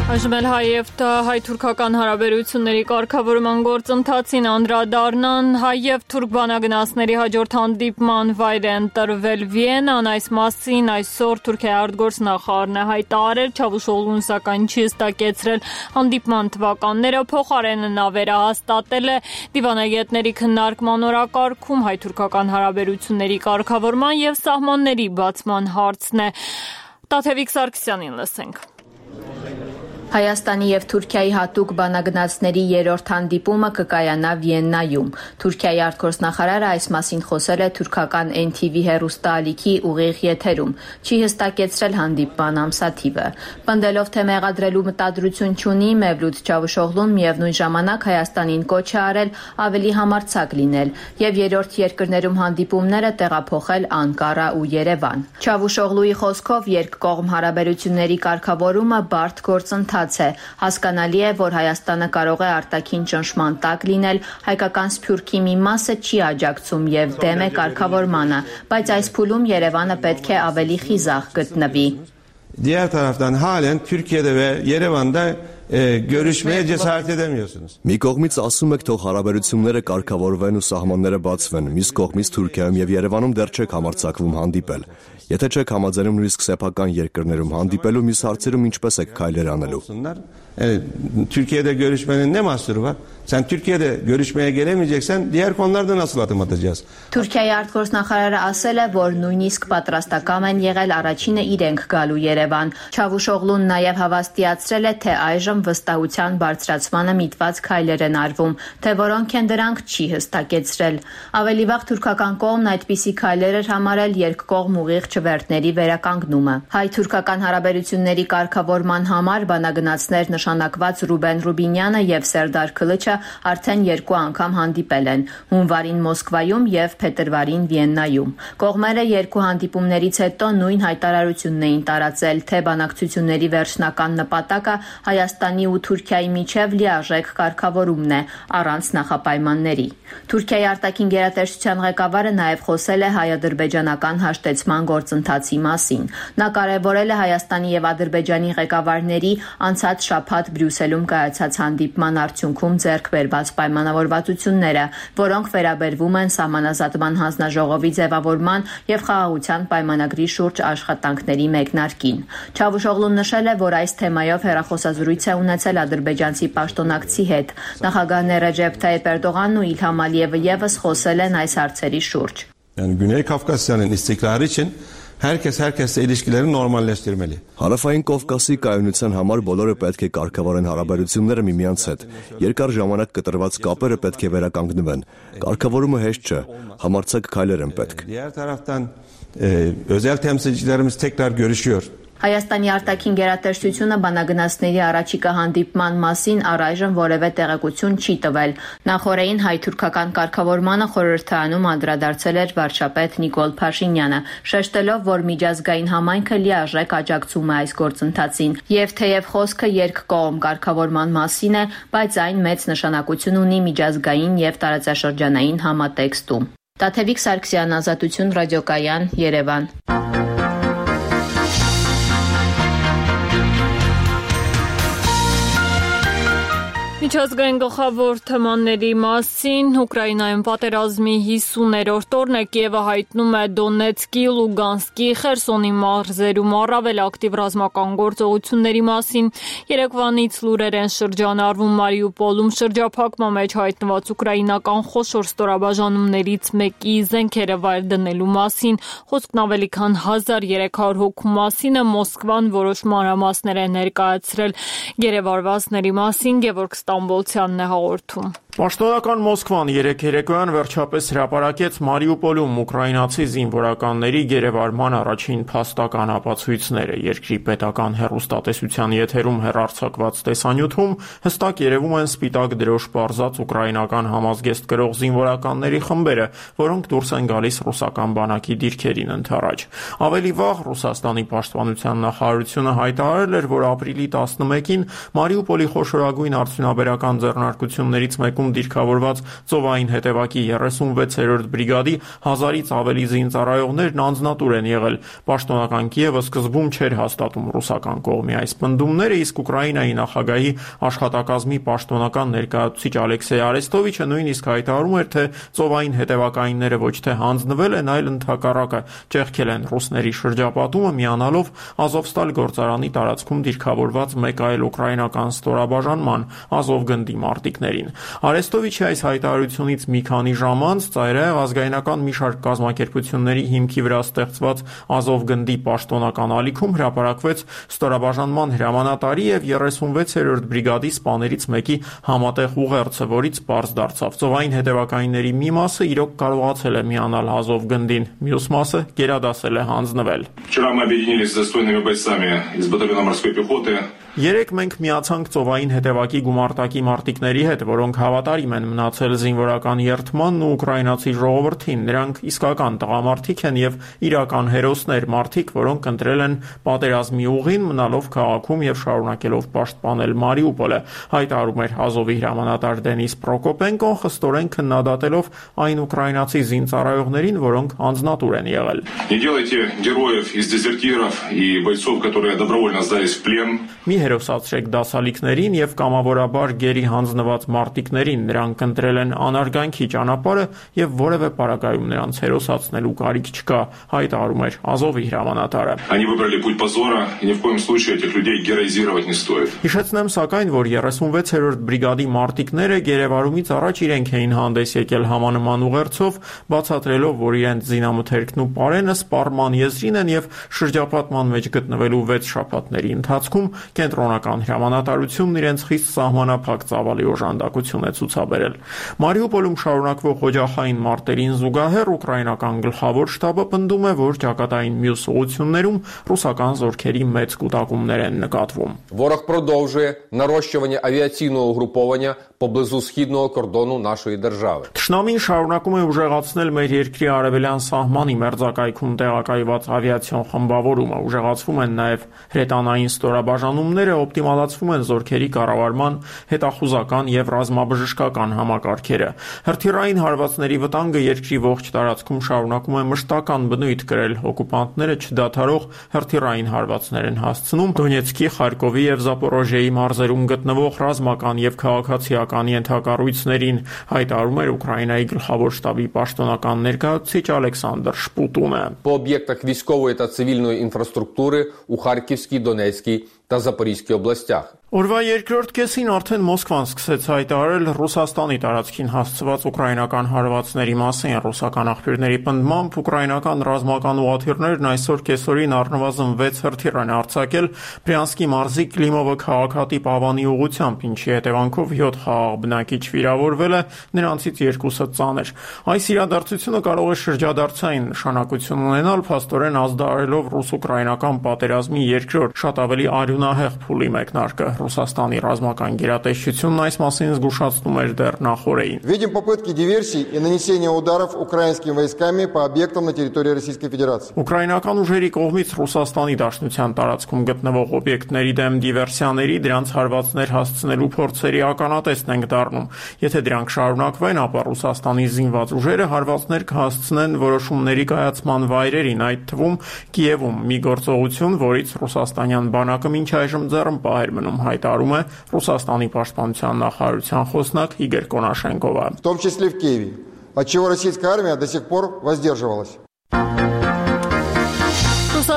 Այժմ էլ հայ-և հայ-թուրքական հարաբերությունների կարգավորման գործընթացին անդրադառնան հայ-և թուրք բանագնացների հաջորդ հանդիպման վայր է ընտրվել Վիեննան, այս մասին այսօր Թուրքիայի արտգործնախարարն է հայտարարել, Չավուշօղլուն սակայն չի հստակեցրել հանդիպման թվականները, փոխարենը նա վերահաստատել է դիվանագետների քննարկման օրակարգում հայ-թուրքական հարաբերությունների կարգավորման և սահմանների բացման հարցն է։ Տաթևիկ Սարգսյանին լսենք։ Հայաստանի և Թուրքիայի հատուկ բանագնացների երրորդ հանդիպումը կկայանա Վիեննայում։ Թուրքիայի արտգործնախարարը այս մասին խոսել է թուրքական N T V հեռուստաալիքի ուղիղ եթերում, չի հստակեցրել հանդիպման ամսաթիվը։ Պնդելով, թե մեղադրելու մտադրություն չունի, Մևլութ Չավուշօղլուն միևնույն ժամանակ Հայաստանին կոչ է արել ավելի համարձակ լինել և երրորդ երկրներում հանդիպումները տեղափոխել Անկարա ու Երևան։ Չավուշօղլուի խոսքով երկկողմ հարաբերությունների կարգավորումը բարդ գործընթաց է։ Հասկանալի է, որ Հայաստանը կարող է արտաքին ճնշման տակ լինել, հայկական Սփյուռքի մի մասը չի աջակցում եւ դեմ է կարգավորմանը, բայց այս փուլում Երևանը պետք է ավելի խիզախ գտնվի։ Diğer taraftan halen Türkiye'de ve Yerevan'da e, görüşmeye cesaret edemiyorsunuz. Մի կողմից ասում եք թող հարաբերությունները կարգավորվեն ու սահմանները բացվեն, մյուս կողմից Թուրքիայում եւ Երևանում դեռ չեք համարձակվում հանդիպել։ Եթե չեք համաձայնում նույնիսկ սեփական երկրներում հանդիպելու, մյուս հարցերում ինչպես եք քայլեր անելու։ Evet, Türkiye'de görüşmenin ne mahsuru var? Sen Türkiye'de görüşmeye gelemeyeceksen diğer konularda nasıl adım atacağız? Թուրքիայի արտգործնախարարը ասել է, որ նույնիսկ պատրաստական են եղել առաջինը իրենք գալու Երևան։ Չավուշօղլուն նաև հավաստիացրել է, թե այժմ վստահության բարձրացմանը միտված քայլեր են արվում, թե որոնք են դրանք չի հստակեցրել։ Ավելի վաղ թուրքական կողմն այդպիսի քայլեր էր համարել երկկողմ ուղիղ չվերթների վերականգնումը։ Հայ-թուրքական հարաբերությունների կարգավորման համար բանագնացներ նշանակված Ռուբեն Ռուբինյանը եւ Սերդար Քլիչը արդեն երկու անգամ հանդիպել են՝ հունվարին Մոսկվայում եւ փետրվարին Վիեննայում։ Կողմերը երկու հանդիպումներից հետո նույն հայտարարությունն էին տարածել, թե բանակցությունների վերջնական նպատակը Հայաստանի ու Թուրքիայի միջև լիարժեք կարգավորումն է, առանց նախապայմանների։ Թուրքիայի արտաքին գերատեսչության ղեկավարը նաև խոսել է հայ-ադրբեջանական հաշտեցման գործընթացի մասին։ Նա կարևորել է Հայաստանի եւ Ադրբեջանի ղեկավարների անցած շաբաթ Բրյուսելում կայացած հանդիպման արդյունքում ձեռք բերված պայմանավորվածությունները, որոնք վերաբերվում են սահմանազատման հանձնաժողովի ձևավորման եւ խաղաղության պայմանագրի շուրջ աշխատանքների մեկնարկին։ Չավուշօղլուն նշել է, որ այս թեմայով հեռախոսազրույց է ունեցել ադրբեջանցի պաշտոնակցի հետ։ Նախագահներ Ռեջեփ Թայիփ Էրդողանն ու Իլհամ Ալիևը եւս խոսել են այս հարցերի շուրջ։ Yani Güney Kafkasya'nın istikrarı için herkes herkesle ilişkileri normalleştirmeli. Հարավային Կովկասի կայունության համար բոլորը պետք է կարգավորեն հարաբերությունները միմյանց հետ։ Երկար ժամանակ կտրված կապերը պետք է վերականգնվեն։ Կարգավորումը հեշտ չէ, համարձակ քայլեր են պետք։ Diğer taraftan e, özel temsilcilerimiz tekrar görüşüyor. Հայաստանի արտաքին գերատեսչությունը բանագնացների առաջիկա հանդիպման մասին առայժմ որևէ տեղեկություն չի տվել։ Նախորդին հայ-թուրքական կարգավորմանը խորհրդարանում անդրադարձել էր վարչապետ Նիկոլ Փաշինյանը, շեշտելով, որ միջազգային համայնքը լիարժեք աջակցում է այս գործընթացին, եւ թեև խոսքը երկկողմ կարգավորման մասին է, բայց այն մեծ նշանակություն ունի միջազգային եւ տարածաշրջանային համատեքստում։ Տաթևիկ Սարգսյան, Ազատություն ռադիոկայան, Երևան։ Միջազգային գլխավոր թեմաների մասին Ուկրաինայում պատերազմի հիսուներորդ օրն է, Կիևը հայտնում է Դոնեցկի, Լուգանսկի, Խերսոնի մարզերում առավել ակտիվ ռազմական գործողությունների մասին։ Երեկվանից լուրեր են շրջանառվում Մարիուպոլում շրջափակման մեջ հայտնված ուկրաինական խոշոր ստորաբաժանումներից մեկի զենքերը վայր դնելու մասին։ Խոսքն ավելի քան հազար երեք հարյուր հոգու մասին է, Մոսկվան որոշ մանրամասներ է ներկայացրել գերեվարվածների մասին, Գևորգ Ստամբոլցյանն է հաղորդում։ Պաշտոնական Մոսկվան երեկ երեկոյան վերջապես հրապարակեց Մարիուպոլում ուկրաինացի զինվորականների գերեվարման առաջին փաստական ապացույցները։ Երկրի պետական հեռուստատեսության եթերում հեռարձակված տեսանյութում հստակ երևում են սպիտակ դրոշ պարզած ուկրաինական համազգեստ կրող զինվորականների խմբերը, որոնք դուրս են գալիս ռուսական բանակի դիրքերին ընդառաջ։ Ավելի վաղ Ռուսաստանի պաշտպանության նախարարությունը հայտարարել էր, որ ապրիլի տասնմեկին Մարիուպոլի խոշորագույն արդյունաբերական ձեռնարկություններից մեկում դիրքավորված ծովային հետևակի երեսունվեցերորդ բրիգադի հազարից ավելի զինծառայողներն անձնատուր են եղել։ Պաշտոնական Կիևը սկզբում չէր հաստատում ռուսական կողմի այս պնդումները, իսկ Ուկրաինայի նախագահի աշխատակազմի պաշտոնական ներկայացուցիչ Ալեքսեյ Արեստովիչը նույնիսկ հայտարարում էր, թե ծովային հետևակայինները ոչ թե հանձնվել են, այլ ընդհակառակը ճեղքել են ռուսների շրջապատումը, միանալով Ազովստալ գործարանի տարածքում դիրքավորված մեկ այլ ուկրաինական ստորաբաժանման՝ Ազովգնդի մարտիկներին։ Արեստովիչի այս հայտարարությունից մի քանի ժամ անց ծայրահեղ ազգայնական մի շարք կազմակերպությունների հիմքի վրա ստեղծված Ազովգնդի պաշտոնական ալիքում հրապարակվեց ստորաբաժանման հրամանատարի եւ երեսունվեցերորդ բրիգադի սպաներից մեկի համատեղ ուղերձը, որից պարզ դարձավ՝ ծովային հետևակայինների մի մասը իրոք կարողացել է միանալ Ազովգնդին, մյուս մասը գերադասել է հանձնվել։ Вчера мы объединились с достойными бойцами из батальона морской пехоты. Երեք մենք միացանք ծովային հետևակի գումարտակի մարտիկների հետ, որոնք հավատարիմ են մնացել զինվորական երթմանն ու ուկրաինացի ժողովրդին։ Նրանք իսկական տղամարդիկ են եւ իրական հերոսներ, մարդիկ, որոնք ընտրել են պատերազմի ուղին, մնալով քաղաքում եւ շարունակելով պաշտպանել Մարիուպոլը, հայտարարում էր Ազովի հրամանատար Դենիս Պրոկոպենկոն, խստորեն քննադատելով այն ուկրաինացի զինծառայողներին, որոնք անձնատուր են եղել։ Не делайте героев из дезертиров и бойцов, которые добровольно сдались в плен. Մի հերոսացրեք դասալիկներին եւ կամավորաբար գերի հանձնված մարտիկներին, նրանք ընտրել են անարգանքի ճանապարհը եւ որևէ պարագայում նրանց հերոսացնելու կարիք չկա, հայտարարում էր Ազովի հրամանատարը։ Они выбрали путь позора, и ни в коем случае этих людей героизировать не стоит. Հիշեցնեմ սակայն, որ երեսունվեցերորդ բրիգադի մարտիկները գերեվարումից առաջ իրենք էին հանդես եկել համանման ուղերձով, բացատրելով, որ իրենց զինամթերքն ու պարենը սպառման եզրին են եւ շրջապատման մեջ գտնվելու վեց շաբաթների ընթացքում կենտրոնական հրամանատարությունն իրենց խիստ սահմանափակ ծավալի օժանդակություն է ցուցաբերել։ Մարիուպոլում շարունակվող օջախային մարտերին զուգահեռ ուկրաինական գլխավոր շտաբը պնդում է, որ ճակատային մյուս ուղություններում ռուսական զորքերի մեծ կուտակումներ են նկատվում։ Ворог продовжує нарощування авіаційного угруповання поблизу східного кордону нашої держави. Թշնամին շարունակում է ուժեղացնել մեր երկրի արևելյան սահմանի մերձակայքում տեղակայված ավիացիոն խմբավորումը, ուժեղացվում են նաև հրետանային ստորաբաժանումները, օպտիմալացվում են զորքերի կառավարման հետախուզական եւ ռազմաբժշկական համակարգերը։ Հրթիռային հարվածների վտանգը երկրի ողջ տարածքում շարունակում է մշտական բնույթ կրել, օկուպանտները չդադարող հրթիռային հարվածներ են հասցնում Դոնեցկի, Խարկովի եւ Զապորոժիեի մարզերում գտնվող ռազմական եւ քաղաքացիական ենթակառույցներին, հայտարարում էր Ուկրաինայի գլխավոր շտաբի պաշտոնական ներկայացուցիչ Ալեքսանդր Շպուտունը։ По об'єктах військової та цивільної інфраструктури у Харківській, Донецькій та Запорізькій областях. Օրվա երկրորդ կեսին արդեն Մոսկվան սկսեց հայտարարել Ռուսաստանի տարածքին հասցված ուկրաինական հարվածների մասին։ Ռուսական աղբյուրների պնդմամբ ուկրաինական ռազմական ուղղաթիռներն այսօր կեսօրին առնվազն վեց հրթիռ են արձակել Բրյանսկի մարզի Կլիմովը քաղաքատիպ Ավանի ուղղությամբ, ինչի հետևանքով յոթ խաղաղ բնակիչ վիրավորվել է, նրանցից երկուսը ծանր։ Այս իրադարձությունը կարող է շրջադարձային նշանակություն ունենալ, փաստորեն ազդարարելով ռուս-ուկրաինական պատերազմի երկրորդ շատ ավելի արյունահեղ փուլի մեկնարկը։ Ռուսաստանի ռազմական գերատեսչությունն այս մասին զգուշացնում էր դեռ նախօրեին։ Видим попытки диверсий и нанесения ударов украинскими войсками по объектам на территории Российской Федерации. Ուկրաինական ուժերի կողմից Ռուսաստանի Դաշնության տարածքում գտնվող օբյեկտների դեմ դիվերսիաների, դրանց հարվածներ հասցնելու փորձերի ականատեսն ենք դառնում։ Եթե դրանք շարունակվեն, ապա Ռուսաստանի զինված ուժերը հարվածներ կհասցնեն որոշումների կայացման վայրերին, այդ թվում Կիևում, մի գործողություն, որից ռուսաստանյան բանակը մինչ այժմ ձեռնպահ էր մնում, հայտարարում է Ռուսաստանի պաշտպանության նախարարության խոսնակ Իգոր Կոնաշենկովը։ В том числе в Киеве, от чего российская армия до сих пор воздерживалась.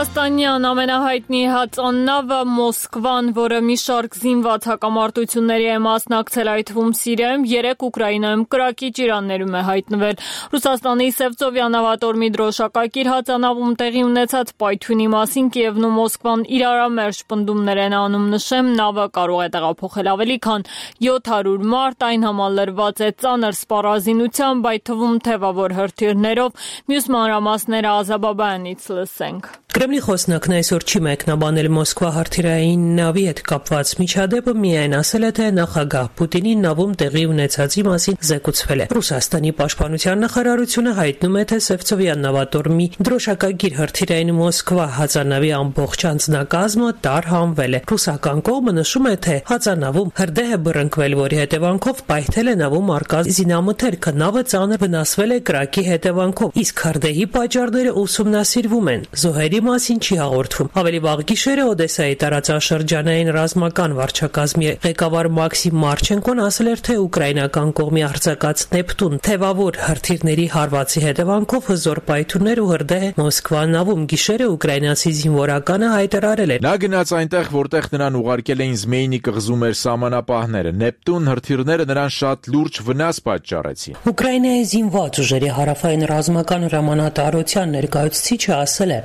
Ռուսաստանյան ամենահայտնի հածաննավը Մոսկվան, որը մի շարք զինված հակամարտությունների է մասնակցել, այդ թվում Սիրիայում, երեք Ուկրաինայում կրակի ճիրաններում է հայտնվել։ Ռուսաստանի Սևծովյան նավատորմի դրոշակակիր հածանավում տեղի ունեցած պայթյունի մասին Կիևն ու Մոսկվան իրարամերժ պնդումներ են անում, նշեմ, նավը կարող է տեղափոխել ավելի քան յոթ հարյուր մարդ, այն համալրված է ծանր սպառազինությամբ, այդ թվում թևավոր հրթիռներով, մյուս մանրամասները Ազաբաբայանից լսենք։ Կրեմլի խոսնակն այսօր չի մեկնաբանել Մոսկվա հրթիռային նավի հետ կապված միջադեպը, միայն ասել է, թե նախագահ Պուտինի նավում տեղի ունեցածի մասին զեկուցվել է։ Ռուսաստանի պաշտպանության նախարարությունը հայտնում է, թե Սևծովյան նավատորմի դրոշակագիր հրթիռային Մոսկվա հածանավի ամբողջ անձնակազմը տարհանվել է։ Ռուսական կողմը նշում է, թե հածանավում հրդեհ է բռնկվել, որի հետևանքով պայթել է նավում առկա զինամթերքը, նավը ծանր վնասվել է կրակի հետևանքով, իսկ հրդեհի պատճառները ուսումնասիրվում են։ Զոհերի մասին չի հաղորդվում։ Ավելի վաղ գիշերը Օդեսայի տարածաշրջանային ռազմական վարչակազմի ղեկավար Մաքսիմ Մարչենկոն ասել էր, թե ուկրաինական կողմի արձակած Նեպտուն թևավոր հրթիռների հարվածի հետևանքով հզոր պայթյուններ ու հրդեհ Մոսկվա նավում գիշերը ուկրաինացի զինվորականը հայտարարել էր։ Նա գնաց այնտեղ, որտեղ նրան ուղարկել էին Զմեյնի կղզում էր սահմանապահները։ Նեպտուն հրթիռները նրան շատ лուրջ վնաս պատճառեցին։ Ուկրաինայի զինված ուժերի հարավային ռազմական հրամանատարության ներկայացուցիչը ասել է.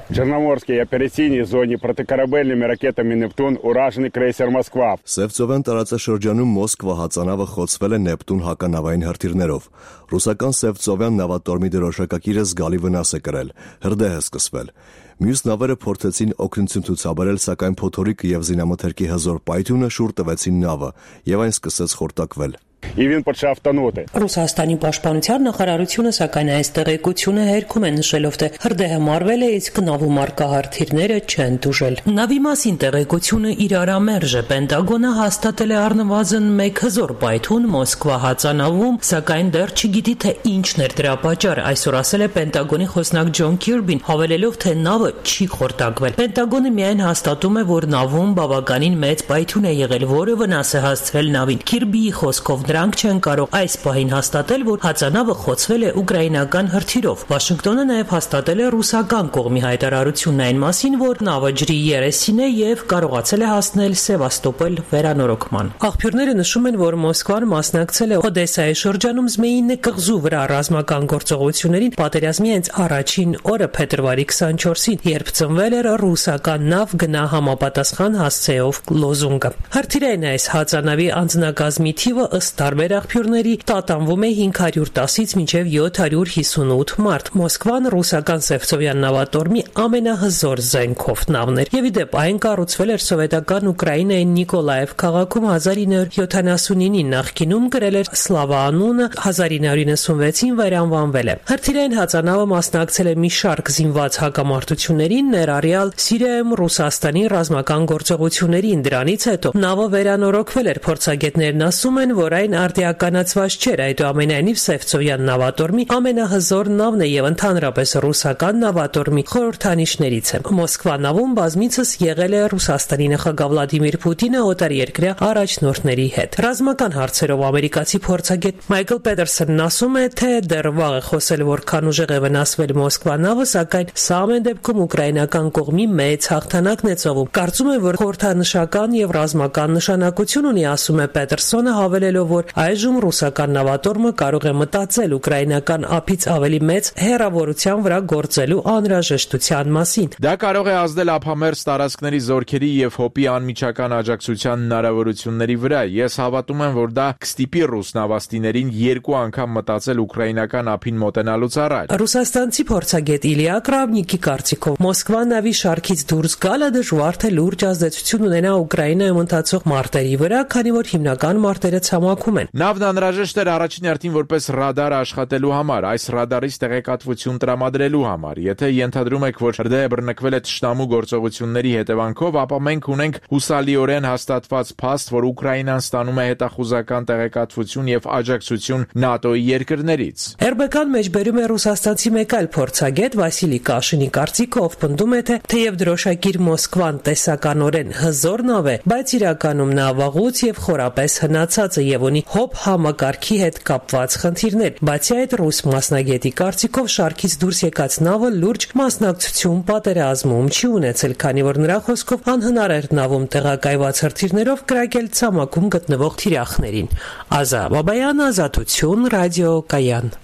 Черноморской оперативной зоне протикорабельными ракетами «Нептун» ураженный крейсер «Москва». Սևծովյան տարածաշրջանում Մոսկվա հածանավը խոցվել է Նեպտուն հականավային հրթիռներով։ Ռուսական Սևծովյան նավատորմի դրոշակակիրը զգալի վնաս է կրել, հրդեհ է սկսվել։ Մյուս նավերը փորձեցին օգնություն ցուցաբերել, սակայն փոթորիկը եւ զինամթերքի հզոր պայթյունը շուռ տվեցին նավը, եւ այն սկսեց խորտակվել։ Ռուսաստանի պաշտպանության նախարարությունը սակայն այս տեղեկությունը հերքում է, նշելով, թե հրդեհը մարվել է, իսկ նավում առկա հրթիռները չեն տուժել։ Նավի մասին տեղեկությունը իրարամերժ է։ Պենտագոնը հաստատել է առնվազն մեկ հզոր պայթյուն Մոսկվա հածանավում, սակայն դեռ չգիտի, թե ինչն էր դրա պատճառը։ Այսօր ասել է Պենտագոնի խոսնակ Ջոն Քիրբին, հավելելով, թե նավը չի խորտակվել։ Պենտագոնը միայն հաստատում է, որ նավում բավականին մեծ պայթյուն է եղել, որը վնաս է հասցրել նավին։ Քիրբիի խոսքով դրանք չեն կարող այս պահին հաստատել, որ հածանավը խոցվել է ուկրաինական հրթիռով։ Վաշինգտոնը նաև հաստատել է ռուսական կողմի հայտարարությունն այն մասին, որ նավը ջրի երեսին է եւ կարողացել է հասնել Սևաստոպոլ վերանորոգման։ Աղբյուրները նշում են, որ Մոսկվան մասնակցել է Օդեսայի շրջանում Զմեյինի կղզու վրա ռազմական գործողություններին պատերազմի հենց առաջին օրը փետրվարի քսանչորսին, երբ ծնվել էր ռուսական նավ գնա համապատասխան հասցեով լոզունգը։ Հրթիռային այս հածանավի անձնակազմի թիվը ըստ տարբեր աղբյուրների տատանվում է հինգ հարյուր տասից մինչև յոթ հարյուր հիսունութ մարդ։ Մոսկվան ռուսական Սևծովյան նավատորմի ամենահզոր զենքով նավն էր, եւ ի դեպ այն կառուցվել էր սովետական Ուկրաինայի Նիկոլաև քաղաքում հազար ինը հարյուր յոթանասունինին, նախկինում կրել էր Սլավա անունը, հազար ինը հարյուր նվեցին վերանվանվել է։ Հրթիռային հածանավը մասնակցել է մի շարք զինված հակամարտություններին, ներառյալ Սիրիայում Ռուսաստանի ռազմական գործողություններին։ Դրանից հետո նավը վերանորոգվել էր։ Փորձագետներն ասում են, որ այն արդիականացված չէր, այդուամենայնիվ Սևծովյան նավատորմի ամենահզոր նավն է եւ ընդհանրապես ռուսական նավատորմի խորհրդանիշներից է։ Մոսկվա նավում բազմիցս եղել է Ռուսաստանի նախագահ Վլադիմիր Պուտինը օտարերկրյա առաջնորդների հետ։ Ռազմական հարցերով ամերիկացի փորձագետ Մայքլ Պետերսոնն ասում է, թե դեռ վաղ է խոսել, որքան ուժեղ է վնասվել Մոսկվա նավը, սակայն սա ամեն դեպքում ուկրաինական կողմի մեծ հաղթանակն է ծովում։ Կարծում եմ, որ խորհրդանշական եւ ռազմական նշանակություն ունի, ասում է Պետերսոնը, հավելելով, որ այժմ ռուսական նավատորմը կարող է մտածել ուկրաինական ափից ավելի մեծ հեռավորության վրա գործելու անհրաժեշտության մասին։ Դա կարող է ազդել ափամերձ տարածքների զորքերի եւ հոպի անմիջական աջակցության հնարավորությունների վրա։ Ես հավատում եմ, որ դա կստիպի ռուս նավաստիներին երկու անգամ մտածել ուկրաինական ափին մոտենալուց առաջ։ Ռուսաստանցի փորձագետ Իլիա Կրավնիկի կարծիքով Մոսկվա նավի շարքից դուրս գալը դժվար թե լուրջ ազդեցություն ունենա Ուկրաինայում ընթացող մարտերի վրա, քանի որ հիմնական մարտերը ցամաքում են։ Նավն անհրաժեշտ էր առաջին հերթին որպես ռադար աշխատելու համար, այս ռադարից տեղեկատվություն տրամադրելու համար։ Եթե ենթադրում եք, որ հրդեհը բռնկվել է թշնամու գործողությունների հետևանքով, ապա մենք ունենք հուսալիորեն հաստատված փաստ, որ Ուկրաինան ստանում է հետախուզական տեղեկատվություն եւ աջակցություն ՆԱՏՕ-ի երկրներից։ эр бэ կան մեջբերում է ռուսաստանցի մեկ այլ փորձագետ Վասիլի Կաշինի կարծիքով, ով պնդում է, թե թեև դրոշակիր Մոսկվան տեսականորեն հզոր նավ է, բայց իրականում նա վաղուց եւ խորապես հնացած է եւ ունի ունի հոբ համակարգի հետ կապված խնդիրներ։ Բացի այդ, ռուս մասնագետի կարծիքով շարքից դուրս եկած նավը լուրջ մասնակցություն պատերազմում չի ունեցել, քանի որ նրա խոսքով անհնար էր նավում տեղակայված հրթիռներով կրակել ցամաքում գտնվող թիրախներին։ Ազա Բաբայան, Ազատություն, Ռադիո Կայան։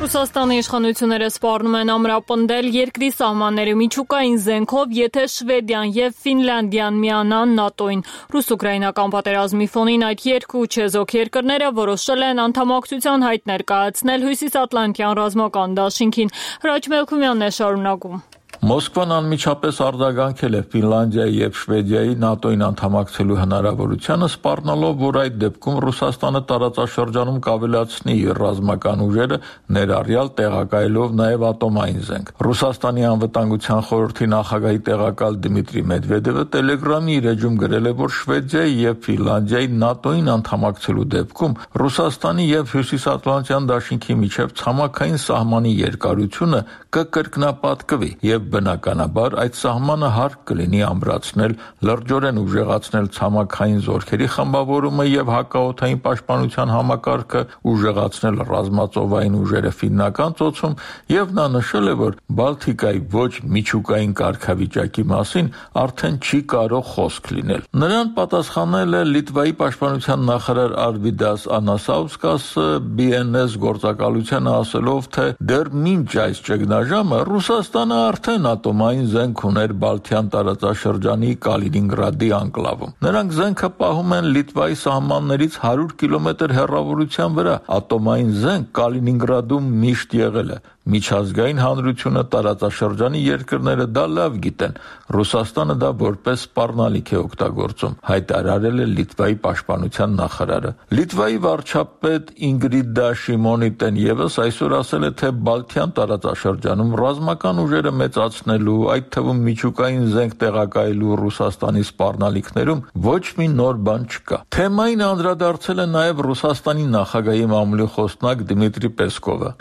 Ռուսաստանի իշխանությունները սպառնում են ամրապնդել երկրի սահմանների միջուկային զենքով, եթե Շվեդիան եւ Ֆինլանդիան միանան ՆԱՏՕ-ին։ Ռուս-ուկրաինական պատերազմի ֆոնին այդ երկու չեզոք երկրները որոշել են անդամակցության հայտ ներկայացնել Հյուսիսատլանտյան ռազմական դաշինքին։ Հրաչ Մելքումյանն է շարունակում։ Մոսկվան անմիջապես արձագանքել է Ֆինլանդիայի եւ Շվեդիայի ՆԱՏՕ-ին անդամակցելու հնարավորությանը, սպառնալով, որ այդ դեպքում Ռուսաստանը տարածաշրջանում կավելացնի իր ռազմական ուժերը, ներառյալ տեղակայելով նաեւ ատոմային զենք։ Ռուսաստանի անվտանգության խորհրդի նախագահի տեղակալ Դմիտրի Մեդվեդևը Telegram-ի իր էջում գրել է, որ Շվեդիայի եւ Ֆինլանդիայի ՆԱՏՕ-ին անդամակցելու դեպքում Ռուսաստանի եւ Հյուսիսատլանտյան դաշինքի միջև ցամաքային սահմանի երկարությունը կկրկնապատկվի եւ բնականաբար այդ սահմանը հարկ կլինի ամրացնել, լրջորեն ուժեղացնել ցամաքային զորքերի խմբավորումը եւ հակաօդային պաշտպանության համակարգը, ուժեղացնել ռազմածովային ուժերը Ֆիննական ծոցում, եւ նա նշել է, որ Բալթիկայի ոչ միջուկային կարգավիճակի մասին արդեն չի կարող խոսք լինել։ Նրան պատասխանել է Լիտվայի պաշտպանության նախարար Արվիդաս Անասաուսկասը բի են էս գործակալությանը ասելով, թե դեռ մինչ այս ճգնաժամը Ռուսաստանը արդեն ատոմային զենք ուներ Բալթյան տարածաշրջանի Կալինինգրադի անկլավում։ Նրանք զենքը պահում են Լիտվայի սահմաններից հարյուր կիլոմետր հեռավորության վրա։ Ատոմային զենք Կալինինգրադում միշտ եղել է։ Միջազգային հանրությունը, տարածաշրջանի երկրները դա լավ գիտեն։ Ռուսաստանը դա որպես սպառնալիք է օգտագործում, հայտարարել է Լիտվայի պաշտպանության նախարարը։ Լիտվայի վարչապետ Ինգրիդա Շիմոնիտեն եւս այսօր ասել է, թե Բալթյան տարածաշրջանում ռազմական ուժերը մեծացնելու, այդ թվում միջուկային զենք տեղակայելու Ռուսաստանի սպառնալիքներում ոչ մի նոր բան չկա։ Թեմային անդրադարձել է նաեւ Ռուսաստանի նախագահի մամուլի խոսնակ Դմիտրի Պեսկովը։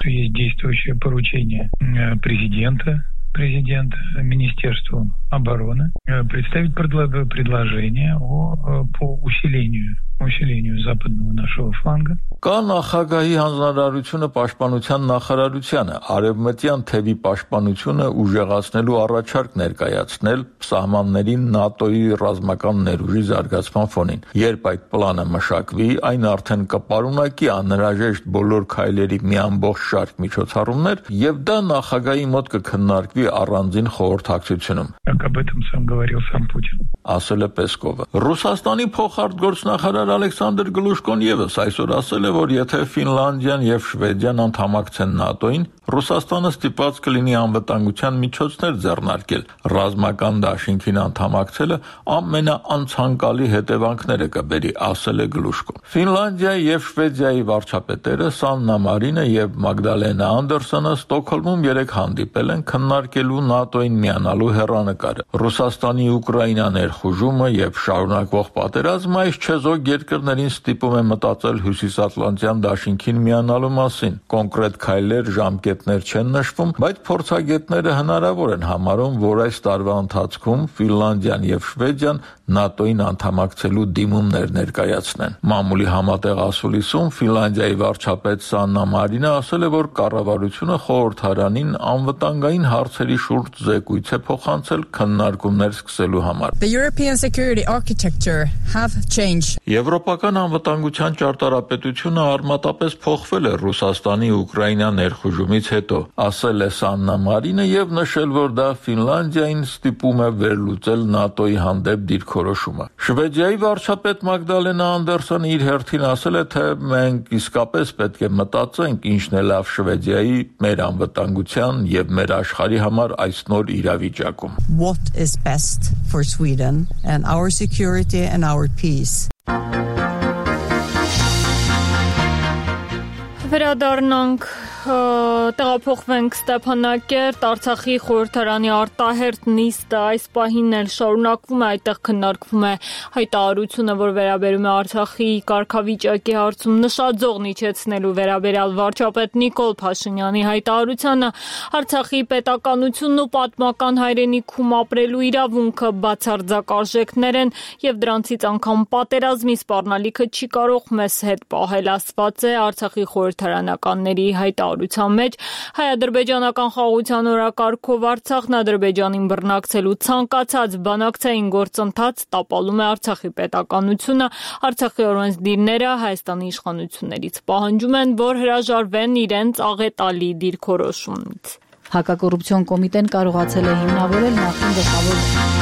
Поручение президента, президента Министерству обороны представить предложение о, по усилению, усилению западного нашего фланга. Կա նախագահի հանձնարարությունը պաշտպանության նախարարությանը արևմտյան թևի պաշտպանությունը ուժեղացնելու առաջարկ ներկայացնել սահմաններին ՆԱՏՕ-ի ռազմական ներուժի զարգացման ֆոնին։ Երբ այդ պլանը մշակվի, այն արդեն կպարունակի անհրաժեշտ բոլոր քայլերի մի ամբողջ շարք միջոցառումներ, եւ դա նախագահի մոտ կքննարկվի առանձին խորհրդակցությունում։ Ասել է Պեսկովը։ Ռուսաստանի փոխարտգործնախարար Ալեքսանդր Գլուշկոն եւս այսօր ասել է, որ եթե Ֆինլանդիան եւ Շվեդիան անդամակցեն ՆԱՏՕ-ին, Ռուսաստանը ստիպված կլինի անվտանգության միջոցներ ձեռնարկել։ Ռազմական դաշինքին անդամակցելը ամենաանցանկալի հետևանքները կբերի, ասել է Գլուշկոն։ Ֆինլանդիայի եւ Շվեդիայի վարչապետերը Սաննա Մարինը եւ Մագդալենա Անդերսոնը Ստոկհոլմում երեկ հանդիպել են քննարկելու ՆԱՏՕ-ին միանալու հեռանկարը։ Ռուսաստանի Ուկրաինա ներխուժումը եւ շարունակվող պատերազմը այս չեզոք երկրներին ստիպում է մտածել Հյուսիսատլանտյան դաշինքին միանալու մասին։ Կոնկրետ քայլեր, ժամկետներ չեն նշվում, բայց փորձագետները հնարավոր են համարում, որ այս տարվա ընթացքում Ֆինլանդիան եւ Շվեդիան ՆԱՏՕ-ին անդամակցելու դիմումներ ներկայացնեն։ Մամուլի համատեղ ասուլիսում Ֆինլանդիայի վարչապետ Սաննա Մարինը ասել է, որ կառավարությունը խորհրդարանին անվտանգային հարցերի շուրջ զեկույց է փոխանցել քննարկումներ սկսելու համար։ The European security architecture have changed. Եվրոպական անվտանգության ճարտարապետությունը արմատապես փոխվել է Ռուսաստանի Ուկրաինա ներխուժումից հետո, ասել է Սաննա Մարինը եւ նշել, որ դա Ֆինլանդիային ստիպում է վերլուծել ՆԱՏՕ-ի հանդեպ դիրքորոշումը։ Շվեդիայի վարչապետ Մագդալենա Անդերսոնը իր հերթին ասել է, թե մենք իսկապես պետք է մտածենք ինչն է լավ Շվեդիայի, մեր անվտանգության եւ մեր աշխարհի համար այս նոր իրավիճակում։ What is best for Sweden and our security and our peace. Վերադառնանք Տեղափոխվենք Ստեփանակերտ, Արցախի խորհրդարանի արտահերթ նիստը այս պահին էլ շարունակվում է, այդտեղ քննարկվում է հայտարարությունը, որ վերաբերում է Արցախի կարգավիճակի հարցում նշաձողն իջեցնելու վերաբերյալ վարչապետ Նիկոլ Փաշինյանի հայտարարությանը, Արցախի պետականությունն ու պատմական հայրենիքում ապրելու իրավունքը բացարձակ արժեքներ են եւ դրանցից անգամ պատերազմի սպառնալիքը չի կարող մեզ հետ պահել, ասված է Արցախի խորհրդարանականների հայտարարության մեջ։ Հայ-ադրբեջանական խաղաղության օրակարգով Արցախն Ադրբեջանին բռնակցելու ցանկացած բանակցային գործընթաց տապալում է Արցախի պետականությունը։ Արցախի օրենսդիրները Հայաստանի իշխանություններից պահանջում են, որ հրաժարվեն իրենց աղետալի դիրքորոշումից։ Հակակոռուպցիոն կոմիտեն կարողացել է հիմնավորել նախին գլխավոր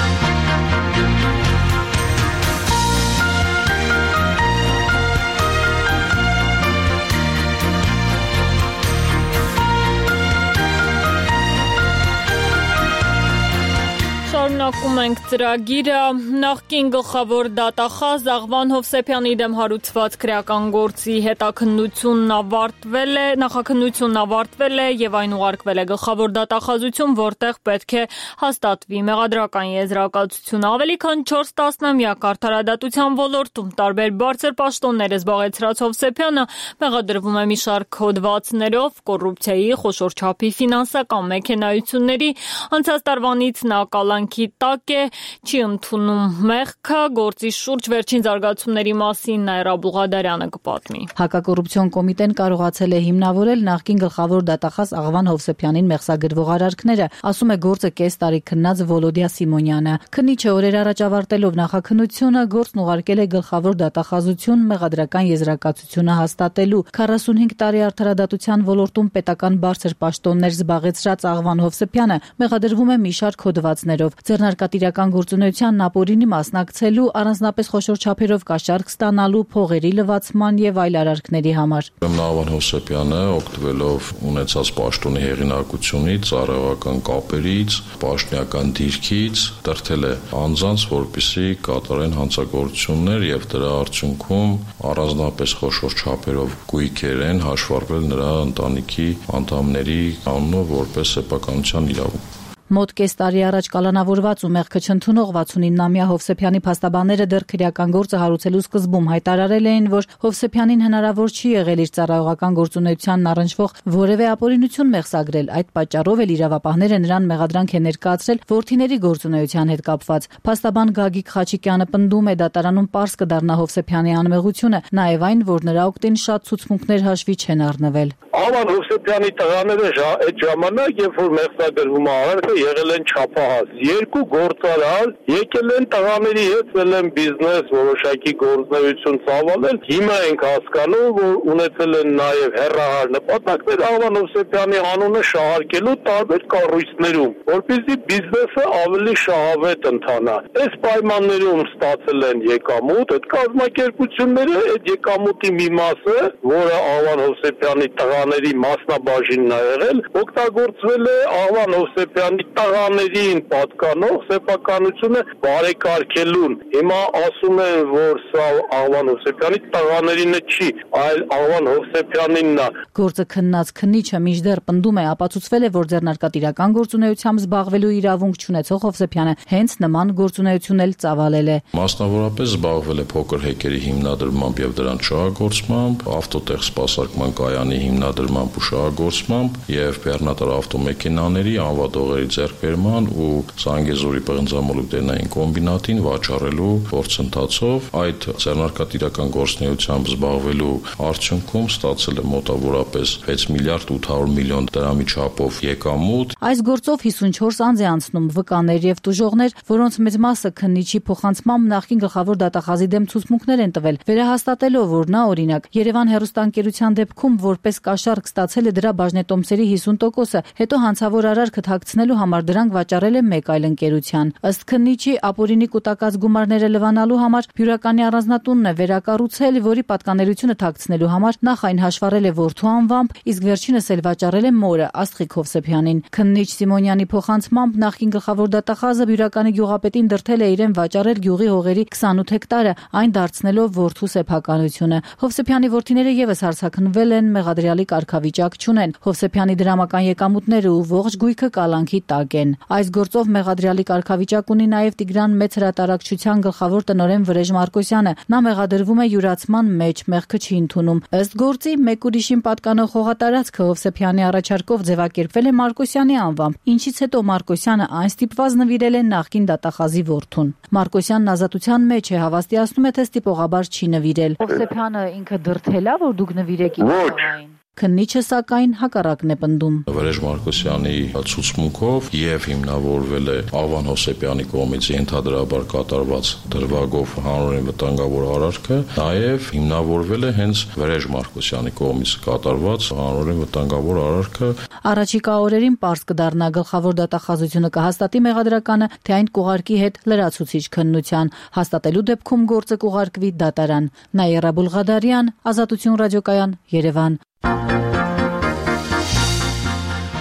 Շարունակում ենք ծրագիրը, նախկին գլխավոր դատախազ Աղվան Հովսեփյանի դեմ հարուցված քրեական գործի հետաքննությունն ավարտվել է, նախաքննությունն ավարտվել է եւ այն ուղարկվել է գլխավոր դատախազություն, որտեղ պետք է հաստատվի մեղադրական եզրակացությունը։ Ավելի քան չորս տասնամյակ արդարադատության ոլորտում տարբեր բարձր պաշտոններ զբաղեցրած Հովսեփյանը մեղադրվում է մի շարք հոդվածներով կոռուպցիայի, խոշոր չափի ֆինանսական մեքենայությունների, անցած տարվանից նա կալանքի տակ է, չի ընդունում մեղքը, գործի շուրջ վերջին զարգացումների մասին Նաիրա Բուղադարյանը կպատմի։ Հակակոռուպցիոն կոմիտեն կարողացել է հիմնավորել նախկին գլխավոր դատախազ Աղվան Հովսեփյանին մեղսագրվող արարքները, ասում է գործը կես տարի քննած Վոլոդիա Սիմոնյանը։ Քննիչը օրեր առաջ ավարտելով նախաքննությունը գործն ուղարկել է գլխավոր դատախազություն մեղադրական եզրակացությունը հաստատելու։ քառասունհինգ տարի արդարադատության ոլորտում պետական բարձր պաշտոններ զբաղեցրած Աղվան Հովսեփյանը մեղադրվում է մի շարք հոդվածներով։ Ձեռնարկատիրական գործունեության ապօրինի մասնակցելու, առանձնապես խոշոր չափերով կաշառք ստանալու, փողերի լվացման եւ այլ արարքների համար։ Աղվան Հովսեփյանը օգտվելով ունեցած պաշտոնի հեղինակությունից, ծառայողական կապերից, պաշտոնական դիրքից դրդել է անձանց, որպեսզի կատարեն հանցագործություններ եւ դրա արդյունքում առանձնապես խոշոր չափերով գույքեր են հաշվառվել նրա ընտանիքի անդամների անունով որպես սեփականության իրավունք։ Մոտ կես տարի առաջ կալանավորված ու մեղքը չընդունող վաթսունինամյա Հովսեփյանի փաստաբանները դեռ քրեական գործը հարուցելու սկզբում հայտարարել էին, որ Հովսեփյանին հնարավոր չի եղել իր ծառայողական գործունեությանն առնչվող որևէ ապօրինություն մեղսագրել։ Այդ պատճառով էլ իրավապահները նրան մեղադրանք են ներկայացրել որդիների գործունեության հետ կապված։ Փաստաբան Գագիկ Խաչիկյանը պնդում է, դատարանում պարզ կդառնա Հովսեփյանի անմեղությունը, նաև այն, որ նրա օգտին շատ ցուցմունքներ հաշվի չեն առնվել։ Աղվան Հովսեփյանի տղաները այդ ժամանակ, երբ որ մեղսագրվում է արարքը, եղել են չափահաս։ Երկու գործարար եկել են տղաների հետ, ել են բիզնես, որոշակի գործունեություն ծավալել։ Հիմա ենք հասկանում, որ ունեցել են նաև հեռահար նպատակներ Աղվան Հովսեփյանի անունը շահարկելու տարբեր կառույցներում, որպեսզի բիզնեսը ավելի շահավետ ընթանա։ Այս պայմաններում ստացել են եկամուտ, այդ կազմակերպությունները այդ եկամուտի մի մասը, որը Աղվան Հովսեփյանի տղաների մասնաբաժինն է եղել, օգտագործվել է Աղվան Հովսեփյանի տղաներին պատկանող սեփականությունը բարեկարգելուն։ Հիմա ասում են, որ սա Աղվան Հովսեփյանի տղաներինը չի, այլ Աղվան Հովսեփյանինն է։ Գործը քննած քննիչը մինչդեռ պնդում է, ապացուցվել է, որ ձեռնարկատիրական գործունեությամբ զբաղվելու իրավունք չունեցող Հովսեփյանը հենց նման գործունեություն էլ ծավալել է։ Մասնավորապես զբաղվել է փոքր հեկերի հիմնադրմամբ եւ դրանց շահագործմամբ, ավտոտեղ սպասարկման կայանի հիմնադրմամբ ու շահագործմամբ եւ բեռնատար ավտոմեքենաների անվադողերի ձեռքբերման ու Զանգեզուրի պղնձամոլուկներային կոմբինատին վաճառելու գործընթացով այդ ձեռնարկատիրական գործունեությամբ զբաղվելու արդյունքում ստացել է մոտավորապես վեց միլիարդ ութ հարյուր միլիոն դրամի չափով եկամուտ։ Այս գործով հիսունչորս անձ է անցնում վկաներ եւ տուժողներ, որոնց մեծ մասը քննիչի փոխանցմամբ նախկին գլխավոր դատախազի դեմ ցուցմունքներ են տվել, վերահաստատելով, որ նա օրինակ Երևան հեռուստաընկերության դեպքում որպես կաշառք ստացել է դրա բաժնետոմսերի հիսուն տոկոսը, հետո հանցավոր արարքը թաքցնելու համար դրանք վաճառել է մեկ այլ ընկերության։ Ըստ քննիչի, ապօրինի կուտակած գումարները լվանալու համար Բյուրականի առանձնատունն է վերակառուցել, որի պատկանելությունը թաքցնելու համար նախ այն հաշվառել է որդու անվամբ, իսկ վերջինս էլ վաճառել է մորը Աստղիկ Հովսեփյանին։ Քննիչ Սիմոնյանի փոխանցմամբ նախկին գլխավոր դատախազը Բյուրականի գյուղապետին դրդել է իրեն վաճառել գյուղի հողերի քսանութ հեկտարը, այն դարձնելով որդու սեփականությունը։ Հովսեփյանի որդիները եւս հարցաքննվել են, մեղադրյալի կարգավիճակ չունեն։ Հովսեփյանի դրամական եկամուտները ու ողջ գույքը կալանքի տակ են։ Այս գործով մեղադրյալի կարգավիճակ ունի նաեւ Տիգրան Մեծ հրատարակչության գլխավոր տնօրեն Վրեժ Մարկոսյանը։ Նա մեղադրվում է յուրացման մեջ, մեղքը չի ընդունում։ Ըստ գործի, մեկ ուրիշին պատկանող հողատարածքը Հովսեփյանի առաջարկով ձևակերպվել է Մարկոսյանի անվամբ, ինչից հետո Մարկոսյանը այն ստիպված նվիրել է նախկին դատախազի որդուն։ Մարկոսյանն ազատության մեջ է, հավաստիացնում է, թե ստիպողաբար չի նվիրել։ Հովսեփյանը ինքը դրդել է, որ դուք նվիրեք իր տղային։ Քննիչը սակայն հակառակն է պնդում։ Վրեժ Մարկոսյանի ցուցմունքով եւ հիմնավորվել է Աղվան Հովսեփյանի կողմից ենթադրաբար կատարված դրվագով հանրային վտանգավոր արարքը, նաեւ հիմնավորվել է հենց Վրեժ Մարկոսյանի կողմից կատարված հանրային վտանգավոր արարքը։ Առաջիկա օրերին պարզ կդառնա, գլխավոր դատախազությունը կհաստատի մեղադրականը, թե այն կուղարկի հետ լրացուցիչ քննության, հաստատելու դեպքում գործը կուղարկվի դատարան։ Նաիրա Բուլղադարյան, Ազատություն ռադիոկայան, Երևան։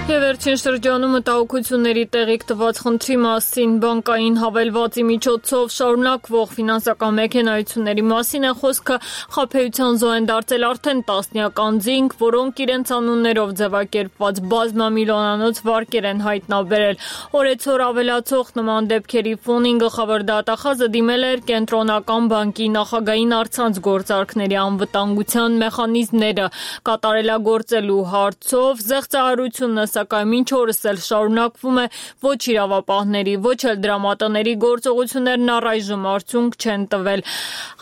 Եվ վերջին շրջանում մտահոգությունների տեղիք տված խնդրի մասին բանկային հավելվածի միջոցով շարունակվող ֆինանսական մեքենայությունների մասին է խոսքը։ Խաբեության զոհ են դարձել արդեն տասնյակ անձինք, որոնք իրենց անուններով ձևակերպված բազմամիլիոնանոց վարկեր են հայտնաբերել։ Օրեցօր ավելացող նման դեպքերի ֆոնին գլխավոր դատախազը դիմել էր Կենտրոնական բանկի նախագահին առցանց գործարքների անվտանգության մեխանիզմները կատարելագործելու հարցով։ Զեղծահարությունը սակայն մինչ օրս էլ շարունակվում է, ոչ իրավապահների, ոչ էլ դրամատների գործողություններն առայժմ արդյունք չեն տվել։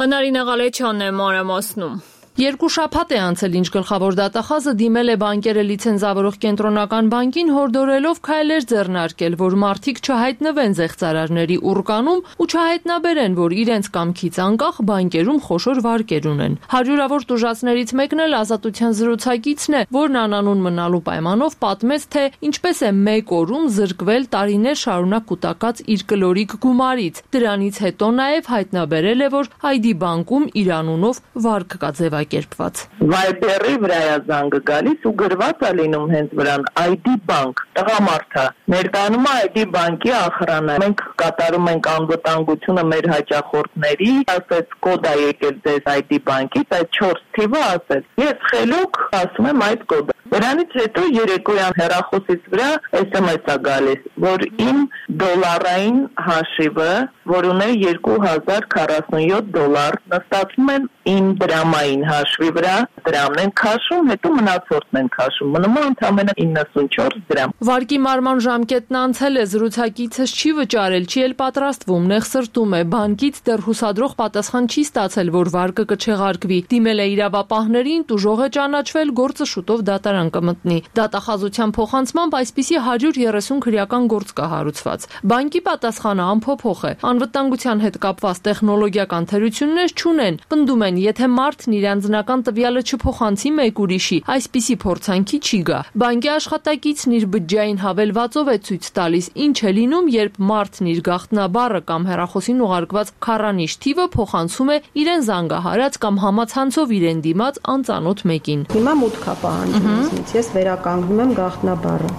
Հնարինե Ղալեչյանն է մանրամասնում։ Երկու շաբաթ է անցել, ինչ գլխավոր դատախազը դիմել է բանկերը լիցենզավորող Կենտրոնական բանկին, հորդորելով քայլեր ձեռնարկել, որ մարդիկ չհայտնվեն զեղծարարների ուռկանում ու չհայտնաբերեն, որ իրենց կամքից անկախ բանկերում խոշոր վարկեր ունեն։ Հարյուրավոր տուժածներից մեկն էլ Ազատության զրուցակիցն է, որն անանուն մնալու պայմանով պատմեց, թե ինչպես է մեկ օրում զրկվել տարիներ շարունակ կուտակած իր կլորիկ գումարից։ Դրանից հետո նաև հայտնաբերել է, որ Այ Դի բանկում իր անունով վարկ կա ձևակերպված։ Վայբերի վրա է զանգը գալիս ու գրված է լինում հենց վրան Այ Դի բանկ, տղամարդը ներկայանում է Այ Դի բանկի ախրանը։ Մենք կատարում ենք անվտանգությունը մեր հաճախորդների, ասեց կոդ է եկել ձեզ Այ Դի բանկից, այդ չորս թիվը ասեց։ Ես խելոք ասում եմ այդ կոդը։ Դրանից հետո երեկոյան հեռախոսից վրա էս էմ էս է գալիս, որ իմ դոլարային հաշիվը, որ ունե երկու հազար քառասունյոթ դոլար, նստածում են իմ դրամային հաշվի վրա, դրամն են քաշում, հետո մնացորդն են քաշում, մնում է ընդամենը իննսունչորս դրամ։ Վարկի մարման ժամկետն անցել է, զրուցակիցս չի վճարել, չի էլ պատրաստվում, նեղսրտում է, բանկից դեռ հուսադրող պատասխան չի ստացել, որ վարկը կչեղարկվի։ Դիմել է իրավապահներին, տուժող է ճանաչվել, գործը շուտով դատարան կմտնի։ Դատախազության փոխանցմամբ այսպիսի հարյուր երեսուն քրեական գործ կա հարուցված։ Բանկի պատասխանը ամփոփող է։ Անվտանգության հետ կապված տեխնոլոգիական թերություններ չունեն։ Պնդում են, եթե մարդն իր անձնական տվյալը չփոխանցի մեկ ուրիշի, այսպիսի փորձանքի չի գա։ Բանկի աշխատակիցն իր բջջային հավելվածով է ցույց տալիս, ինչ է լինում, երբ մարդն իր գաղտնաբառը կամ հեռախոսին ուղարկված քառանիշ թիվը փոխանցում է իրեն զանգահարած կամ համացանցով իրեն դիմաց անծանոթ մեկին։ Հիմա մուտք է պահանջում, ես վերականգնում եմ գաղտնաբառը։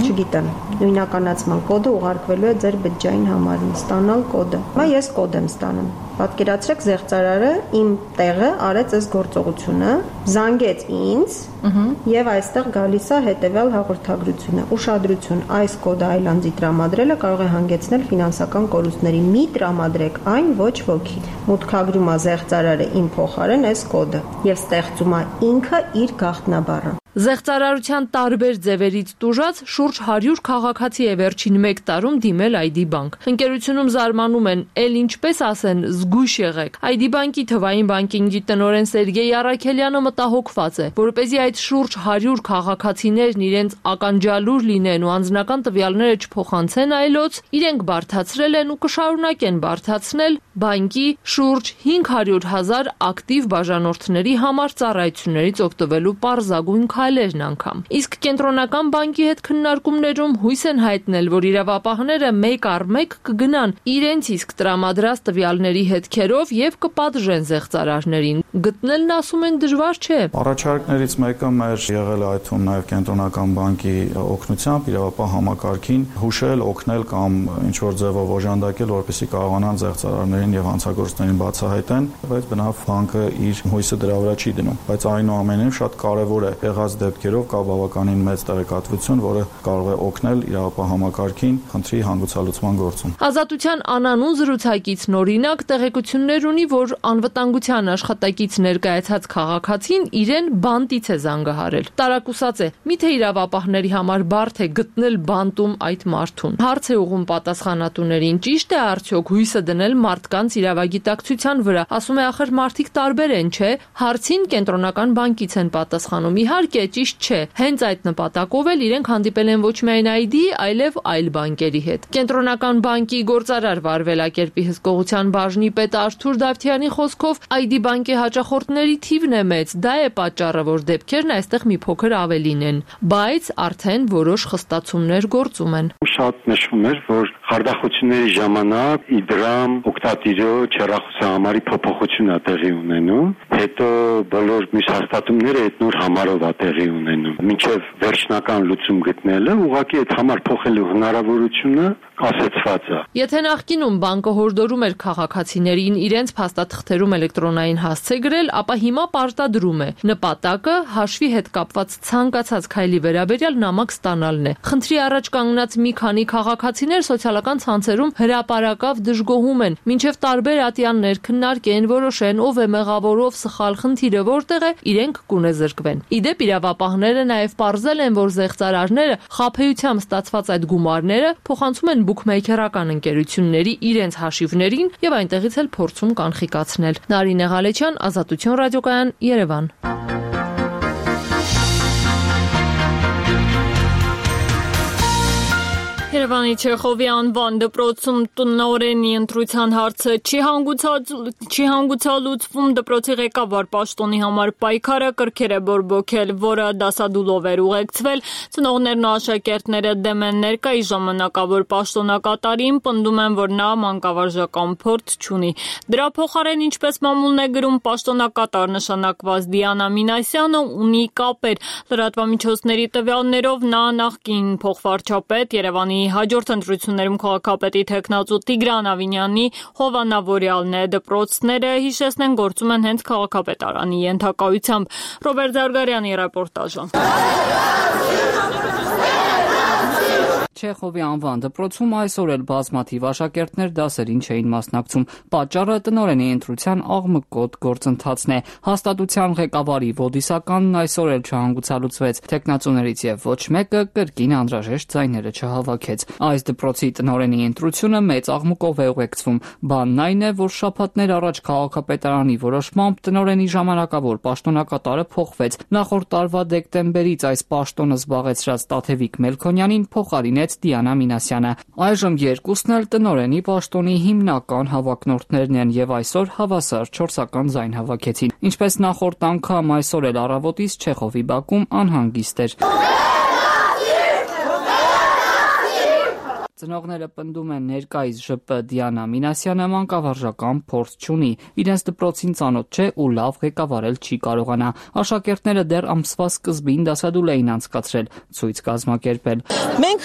Չգիտեմ, նույնականացման կոդը ուղարկվելու է ձեր բջջային համարին, ստանալ կոդը։ Հիմա ես կոդ եմ ստանում։ Պատկերացրեք, զեղծարարը իմ տեղը արեց այս գործողությունը, զանգեց ինձ եւ այստեղ գալիս է հետեւյալ հաղորդագրությունը։ Ուշադրություն, այս կոդը այլանդի տրամադրելը կարող է հանգեցնել ֆինանսական կորուստների։ Մի տրամադրեք այն ոչ ոքի։ Մուտքագրում է զեղծարարը իմ փոխարեն այս կոդը եւ ստեղծում է ինքը իր գաղտնաբառը։ Զեղծարարության տարբեր ձևերից տուժած շուրջ հարյուր քաղաքացի է վերջին մեկ տարում դիմել Այ Դի բանկ։ Ընկերությունում զարմանում են, էլ ինչպես ասեն, զգույշ եղեք։ Այ Դի բանկի թվային բանկինգի տնօրեն Սերգեյ Առաքելյանը մտահոգված է, որպեսզի այդ շուրջ հարյուր քաղաքացիներն իրենց ականջալուր լինեն ու անձնական տվյալները չփոխանցեն այլոց, իրենք բարդացրել են ու կշարունակեն բարդացնել բանկի շուրջ հինգ հարյուր հազար ակտիվ բաժանորդների համար ծառայություններից օգտվելու պարզագույն քայլերն անգամ։ Իսկ կենտրոնական բանկի հետ քննարկումներում հույս են հայտնել, որ իրավապահները մեկ առ մեկ կգնան իրենց իսկ տրամադրած տվյալների հետքերով եւ կպատժեն զեղծարարներին։ Գտնելն ասում են դժվար չէ։ Առաջարկներից մեկը մեր եղել է այդ թվում նաեւ կենտրոնական բանկի օգնությամբ իրավապահ համակարգին հուշել, օգնել կամ ինչ որ ձևով օժանդակել, որպեսզի կարողանան զեղծարարներին եւ հանցագործներին բացահայտեն, բայց բնավ բանկը իր հույսը դրա վրա չի դնում։ Բայց այնուամենայնիվ շատ կարեւոր է եղած դեպքերով կա բավականին մեծ տեղեկատվություն, որը կարող է օգնել իրավապահ համակարգին խնդրի հանգուցալուծման գործում։ Ազատության անանուն զրուցակիցն օրինակ տեղեկություններ ունի, որ անվտանգության աշխատակից ներկայացած քաղաքացին իրեն բանտից է զանգահարել։ Տարակուսած է, միթե իրավապահների համար բարդ է գտնել բանտում այդ մարդուն։ Հարց է ուղղում պատասխանատուներին, ճիշտ է արդյոք հույսը դնել մարդկանց իրավագիտակցության վրա։ Ասում է, ախր մարդիկ տարբեր են, չէ՞։ Հարցին կենտրոնական բանկից են պատասխանում։ Իհարկե, ճիշտ չէ։ Հենց այդ նպատակով էլ իրենք հանդիպել են ոչ միայն այ դի, այլև այլ բանկերի հետ։ Կենտրոնական բանկի գործարար վարվելակերպի հսկողության բաժնի պետ Արթուր Դավթյանի խոսքով այ դի բանկի հաճախորդների թիվն է մեծ, դա է պատճառը, որ դեպքերն այստեղ մի փոքր ավելին են, բայց արդեն որոշ խստացումներ գործում են։ Շատ նշվում էր, որ խարդախությունների ժամանակ իդրամ օկտատիրոջ հեռախոսահամարի փոփոխություն է տեղի ունենում, հետո բոլոր մյուս հաստատումները այդ նոր համարով է տեղի ունենում։ Մինչև վերջնական լուծում գտնելը ուղղակի այդ համար փոխելու հնարավորությունը կասեցված է։ Եթե նախկինում բանկը հորդորում էր քաղաքացիներին իրենց փաստաթղթերում էլեկտրոնային հասցե գրել, ապա հիմա պարտադրում է։ Նպատակը հաշվի հետ կապված ցանկացած քայլի վերաբերյալ նամակ ստանալն է։ Խնդրի առաջ կանգնած մի քանի քաղաքացիներ սոցիալական ցանցերում հրապարակավ դժգոհում են, մինչև տարբեր ատյաններ քննարկեն, որոշեն ով է մեղավոր, ով սխալ, խնդիրը որտեղ է, իրենք կունեզրկվեն։ Իդեպ իրավապահները նաև պարզել են, որ զեղծարարները խաբեությամբ ստացված այդ գումարները փոխանցում են բուքմեյքերական ընկերությունների իրենց հաշիվներին եւ այնտեղից էլ փորձում կանխիկացնել։ Նարինե Ղալեչյան, Ազատություն ռադիոկայան, Երևան։ Երևանի Չեխովի անվան դպրոցում տնօրենի ընտրության հարցը չի չի հանգուցալուծվում, դպրոցի ղեկավար պաշտոնի համար պայքարը կրքեր է բորբոքել, որը դասադուլով էր ուղեկցվել, ծնողներն ու աշակերտները դեմ են ներկայիս ժամանակավոր պաշտոնակատարին, պնդում են, որ նա մանկավարժական փորձ չունի։ Դրա փոխարեն, ինչպես մամուլն է գրում, պաշտոնակատար նշանակված Դիանա Մինասյանը ունի կապեր։ Լրատվամիջոցների տվյալներով նա նախկին փոխվարչապետ Երևանի հաջորդ ընտրություններում քաղաքապետի թեկնածու Տիգրան Ավինյանի հովանավորյալն է։ Դպրոցները, հիշեցնեն, գործում են հենց քաղաքապետարանի ենթակայությամբ։ Ռոբերտ Զարգարյանի ռեպորտաժը։ Չեխովի անվան դպրոցում այսօր էլ բազմաթիվ աշակերտներ դասերին չէին մասնակցում։ Պատճառը տնօրենի ընտրության աղմկոտ գործընթացն է։ Հաստատության ղեկավարի ոդիսականն այսօր էլ չհանգուցալուծվեց։ Թեկնածուներից եւ ոչ մեկը կրկին անհրաժեշտ ձայները չհավաքեց։ Այս դպրոցի տնօրենի ընտրությունը մեծ աղմուկով է ուղեկցվում։ Բանն այն է, որ շաբաթներ առաջ քաղաքապետարանի որոշմամբ տնօրենի ժամանակավոր պաշտոնակատարը փոխվեց։ Նախորդ տարվա դեկտեմբերից այս պաշտոնը զբաղեցրած Տաթևիկ Մելքոնյանին փոխարինեց Դիանա Մինասյանը։ Այժմ երկուսն էլ տնօրենի պաշտոնի հիմնական հավակնորդներն են եւ այսօր հավասար չորսական ձայն հավաքեցին։ Ինչպես նախորդ անգամ այսօր էլ առավոտից Չեխովի բակում անհանգիստ էր։ Ծնողները պնդում են ներկայիս ԺՊ Դիանա Մինասյանը մանկավարժական փորձ չունի, իրենց դպրոցին ծանոթ չէ ու լավ ղեկավարել չի կարողանա։ Աշակերտները դեռ ամսվա սկզբին դասադուլ էին անցկացրել, ցույց կազմակերպել։ Մենք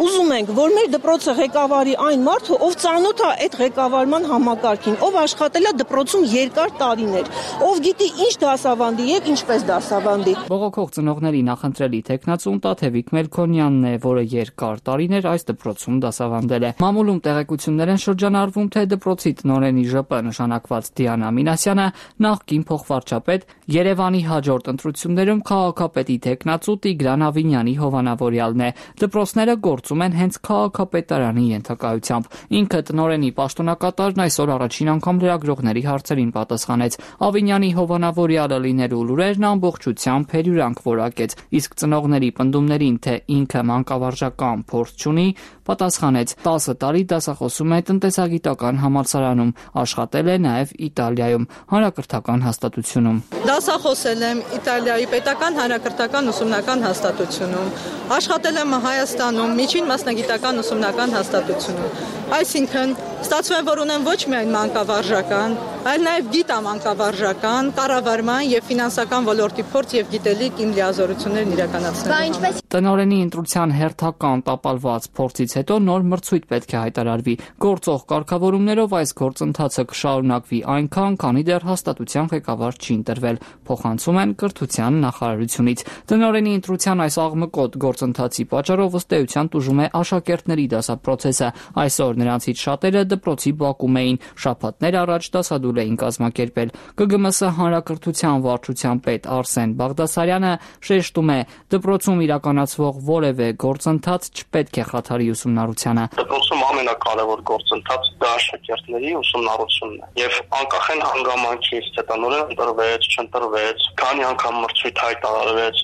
ուզում ենք, որ մեր դպրոցը ղեկավարի այն մարդը, ով ծանոթ է այդ ղեկավարման համակարգին, ով աշխատել է դպրոցում երկար տարիներ, ով գիտի ինչ դասավանդի եւ ինչպես դասավանդի։ Բողոքող ծնողների նախընտրելի թեկնածուն Տաթևիկ Մելքոնյանն է, որը երկար տարիներ այս դպրոցում դասավանդել է։ Մամուլում տեղեկություններ են շրջանառվում, թե դպրոցի տնօրենի ԺՊ նշանակված Դիանա Մինասյանը նախկին փոխվարչապետ Երևանի հաջորդ ընտրություններում քաղաքապետի թեկնածու Տիգրան Ավինյանի հովանավորյալն է։ Դպրոցները գործում են հենց քաղաքապետարանի ենթակայությամբ։ Ինքը տնօրենի պաշտոնակատարն այսօր առաջին անգամ լրագրողների հարցերին պատասխանեց։ Ավինյանի հովանավորյալը լինելու լուրերն ամբողջությամբ հերյուրանք որակեց, իսկ ծնողների պնդումներին, թե ինքը մանկավարժական փորձ չունի, Պատասխանեց. տասը տարի դասախոսում է տնտեսագիտական համալսարանում, աշխատել է նաև Իտալիայում, հանրակրթական հաստատությունում։ Դասախոսել եմ Իտալիայի պետական հանրակրթական ուսումնական հաստատությունում, աշխատել եմ Հայաստանում միջին մասնագիտական ուսումնական հաստատությունում։ Այսինքն, ստացվում է, որ ունեմ ոչ միայն մանկավարժական, այլ նաև գիտամանկավարժական, կառավարման եւ ֆինանսական ոլորտի փորձ եւ գիտելիք իմ լիազորություններն իրականացնելու։ Տնօրենի ընտրության հերթական տապալված փորձից հետո նոր մրցույթ պետք է հայտարարվի։ Գործող կարգավորումներով այս գործընթացը կշարունակվի այնքան, քանի դեռ հաստատության ղեկավար չի ընտրվել, փոխանցում են կրթության նախարարությունից։ Տնօրենի ընտրության այս աղմկոտ գործընթացի պատճառով ըստ էության տուժում է աշակերտների դասապրոցեսը։ Այսօր նրանցից շատերը դպրոցի բակում էին, շաբաթներ առաջ դասադուլ էին կազմակերպել։ Կ Գ M S հանրակրթության վարչության պետ Արսեն Բաղդասարյանը շեշտում է, դպրոցում իրականացվող որևէ գործընթաց չպետք է խաթարի ուսումնառությանը։ Դպրոցում ամենակարևոր գործընթացը դա աշակերտների ուսումնառությունն է։ Եվ անկախ են հանգամանքից, թե տնօրեն ընտրվեց, չընտրվեց, քանի անգամ մրցույթ հայտարարվեց,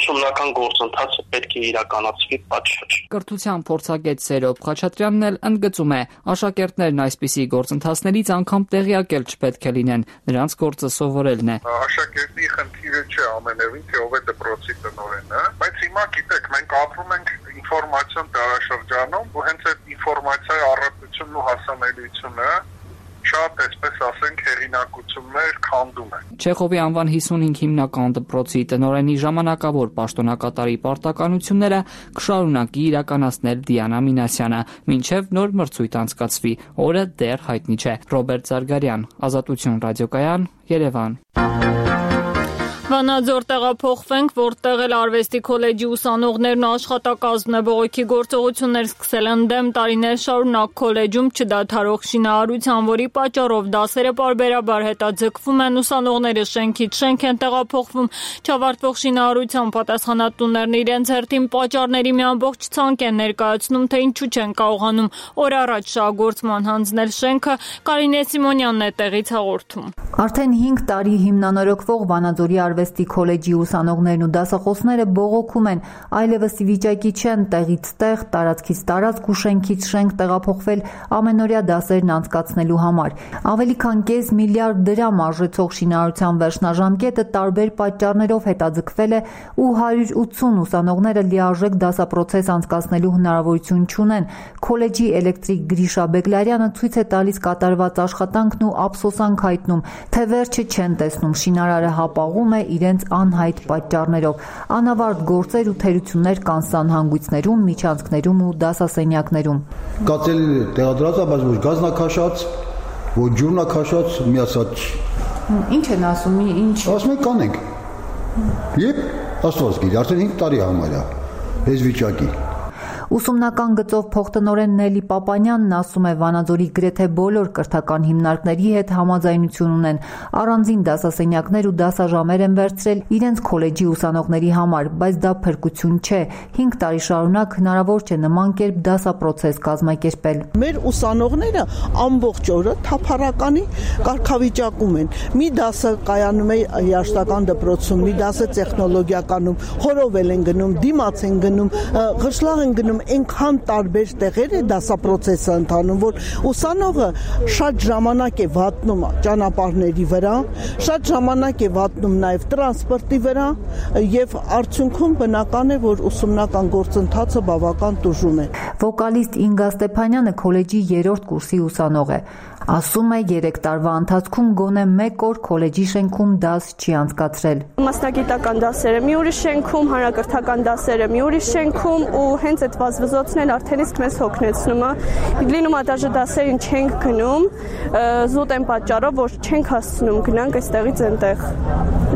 ուսումնական գործընթացը պետք է իրականացվի պատշաճ։ Կրթության փորձագետ Սերոբ Խաչատրյանն էլ ընդգծում է, աշակերտներն այսպիսի գործընթացներից անգամ տեղյակ էլ չպետք է լինեն, նրանց գործը սովորելն է։ Աշակերտի խնդիրը չէ ամենևին, թե ով է դպրոցի տնօրենը, բայց հիմա գիտեք, մենք ապրում ենք ինֆորմացիոն դարաշրջանում, ու հենց այդ ինֆորմացիայի առատությունն ու հասանելիությունը շատ, այսպես ասենք, հեղինակություններ քանդում է։ Չեխովի անվան հիսունհինգ հիմնական դպրոցի տնօրենի ժամանակավոր պաշտոնակատարի պարտականությունները կշարունակի իրականացնել Դիանա Մինասյանը, մինչև նոր մրցույթ անցկացվի, օրը դեռ հայտնի չէ։ Ռոբերտ Զարգարյան, Ազատություն ռադիոկայան, Երևան։ Վանաձոր տեղափոխվենք, որտեղ էլ արվեստի քոլեջի ուսանողներն աշխատակազմն է բողոքի գործողություններ սկսել են դեմ տարիներ շարունակ քոլեջում չդադարող շինարարության, որի պատճառով դասերը պարբերաբար հետաձգվում են, ուսանողները շենքից շենք են տեղափոխվում, չավարտվող շինարարության պատասխանատուներն իրենց հերթին պատճառների մի ամբողջ ցանկ են ներկայացնում, թե ինչու չեն կարողանում օր առաջ շահգործման հանձնել շենքը։ Կարինե Սիմոնյանն է տեղից հաղորդում։ Արդեն հինգ տարի հիմնանորոգվող Վանաձորի արվեստի քոլեջի ուսանողներն ու դասախոսները բողոքում են, այլևս ի վիճակի չեն տեղից տեղ, տարածքից տարածք ու շենքից շենք տեղափոխվել ամենօրյա դասերն անցկացնելու համար։ Ավելի քան կես միլիարդ դրամ արժեցող շինարարության վերջնաժամկետը տարբեր պատճառներով հետաձգվել է ու հարյուր ութսուն ուսանողները լիարժեք դասապրոցես անցկացնելու հնարավորություն չունեն։ Քոլեջի էլեկտրիկ Գրիշա Բեգլարյանը ցույց է տալիս կատարված աշխատանքն ու ափսոսանք հայտնում, թե վերջը չեն տեսնում, շինարարը հապաղում է իրենց անհայտ պատճառներով։ Անավարտ գործեր ու թերություններ կան սանհանգույցներում, միջանցքներում ու դասասենյակներում։ Կացել տեղադրած է, բայց ոչ գազնակաշած, ոչ ջուրնակաշած, միացած։ Ինչ են ասում, ինչ։ Ասում են կանենք։ Եվ Աստված գիտի, արդեն հինգ տարի համարյա, այս վիճակի։ Ուսումնական գծով փոխտնօրեն Նելի Պապանյանն ասում է, Վանաձորի գրեթե բոլոր կրթական հիմնարկների հետ համաձայնություն ունեն, առանձին դասասենյակներ ու դասաժամեր են վերցրել իրենց քոլեջի ուսանողների համար, բայց դա փրկություն չէ։ հինգ տարի շարունակ հնարավոր չէ նման կերպ դասապրոցես կազմակերպել։ Մեր ուսանողները ամբողջ օրը թափառականի կարգավիճակում են։ Մի դասը կայանում է երաժշտական դպրոցում, մի դասը տեխնոլոգիականում, խորովել են գնում, դիմաց են գնում, ղշլաղ են գնում, այնքան տարբեր տեղեր է դասապրոցեսը ընթանում, որ ուսանողը շատ ժամանակ է վատնում ճանապարհների վրա, շատ ժամանակ է վատնում նաև տրանսպորտի վրա եւ արդյունքում բնական է, որ ուսումնական գործընթացը բավական տուժում է։ Վոկալիստ Ինգա Ստեփանյանը քոլեջի երրորդ կուրսի ուսանող է։ Ասում է, երեք տարվա ընթացքում գոնե մեկ օր քոլեջի շենքում դաս չի անցկացրել։ Մասնագիտական դասերը մի ուրիշ շենքում, հանրակրթական դասերը մի ուրիշ շենքում ու հենց այդ վազվզոցն էլ արդեն իսկ մեզ հոգնեցնում է։ Լինում է դաժե դասերին չենք գնում, զուտ են պատճառով, որ չենք հասցնում գնանք այստեղից այնտեղ։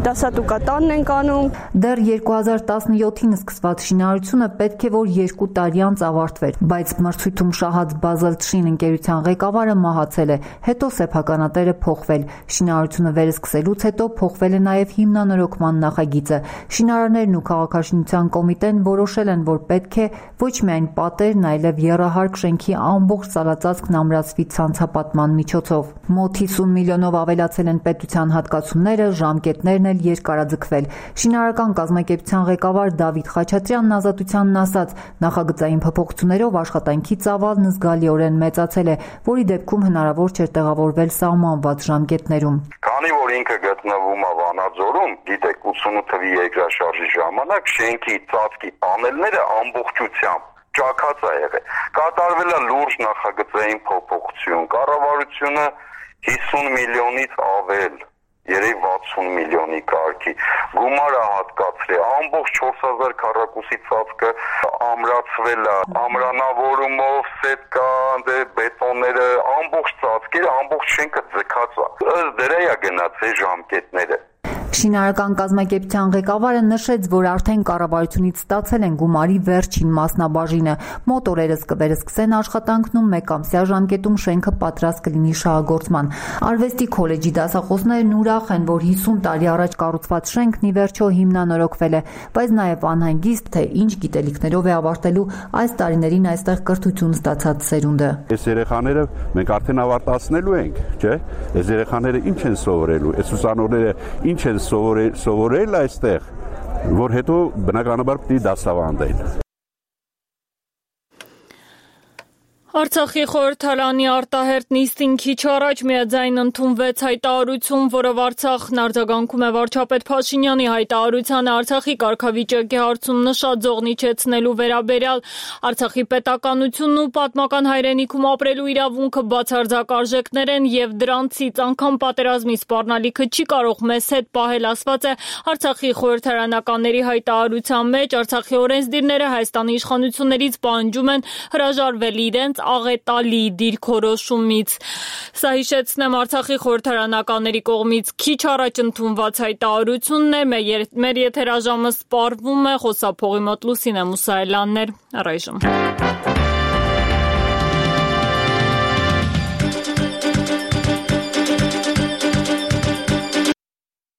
Դասատուկատանն ենք անում։ Դեռ երկու հազար տասնյոթին սկսված շինարարությունը պետք է որ երկու տարի անց ավարտվեր, բայց մրցույթում շահած Բազելտշին ընկերության ղեկավարը մահացել է, հետո սեփականատերը փոխվել։ Շինարարությունը վերսկսելուց հետո փոխվել է նաև հիմնանորոգման նախագիծը։ Շինարարներն ու քաղաքաշինության կոմիտեն որոշել են, որ պետք է ոչ միայն պատերն, այլև եռահարկ շենքի ամբողջ սալածածկն ամրացվի ցանցապատման միջոցով։ Մոտ հիսուն միլիոնով ավելացել են պետության հատկացումները, ժամկետներն էլ երկարաձգվել։ Շինարարական կազմակերպության ղեկավար Դավիթ Խաչատրյանն Ազատությանն ասաց, նախագծային փոփոխություններով աշխատանքի ծավալն զգալիորեն մեծացել է, որի դեպքում հնարավոր չէր տեղավորվել սահմանված ժամկետներում։ Քանի որ ինքը գտնվում է Վանաձորում, գիտեք, ութսունութ թվականի երկրաշարժի ժամանակ շենքի ծածկի պանելները ամբողջությամբ ճաքած է եղել։ Կատարվել է լուրջ նախագծային փոփոխություն, կառավարությունը հիսուն միլիոնից ավել, երեք վաթսուն միլիոնի կարգի գումար է հատկացրել, ամբողջ չորս հազար քառակուսի ծածկը ամրացվել է, ամրանավորումով, սետկա, բետոնները, ամբողջ ծածկերը, ամբողջ շենքը ձգած է։ Ըստ դրա է գնացել ժամկետները։ Շինարարական կազմակերպության ղեկավարը նշեց, որ արդեն կառավարությունից ստացել են գումարի վերջին մասնաբաժինը։ Մոտ օրերս կվերսկսեն աշխատանքն ու մեկամսյա ժամկետում շենքը պատրաստ կլինի շահագործման։ Արվեստի քոլեջի դասախոսներն ուրախ են, որ հիսուն տարի առաջ կառուցված շենքն ի վերջո հիմնանորոգվել է, բայց նաև անհանգիստ, թե ինչ գիտելիքներով է ավարտելու այս տարիներին այստեղ կրթություն ստացած սերունդը։ Այս երեխաները մենք արդեն ավարտացնելու ենք, չէ՞։ Այս երեխաները ինչ են սովորելու, այս ուսանողները ինչ են սովորել, սովորել այստեղ, որ հետո բնականաբար պիտի դասավանդեն։ Արցախի խորհրդարանի արտահերտ նիստին քիչ առաջ միաձայն ընդունվեց հայտարարություն, որով Արցախն արձագանքում է վարչապետ Փաշինյանի հայտարարությանը Արցախի կարգավիճակի հարցում նշած զողնիչեցնելու վերաբերյալ Արցախի պետականությունն ու պատմական հայրենիքում ապրելու իրավունքը բացարձակ արժեքներ են եւ դրանցից անգամ պատերազմի սպառնալիքը չի կարող մեզ հետ պահել, ասված է Արցախի խորհրդարանականների հայտարարության մեջ։ Արցախի օրենսդիրները Հայաստանի իշխանություններից պահանջում են հրաժարվել իրենց աղետալի դիրքորոշումից։ Սա հիշեցնեմ Արցախի խորհրդարանականների կողմից քիչ առաջ ընդունված հայտարարությունն է։ Մեր եթերաժամը սպառվում է, խոսափողի մոտ Լուսինե Մուսայելյանն էր, առայժմ։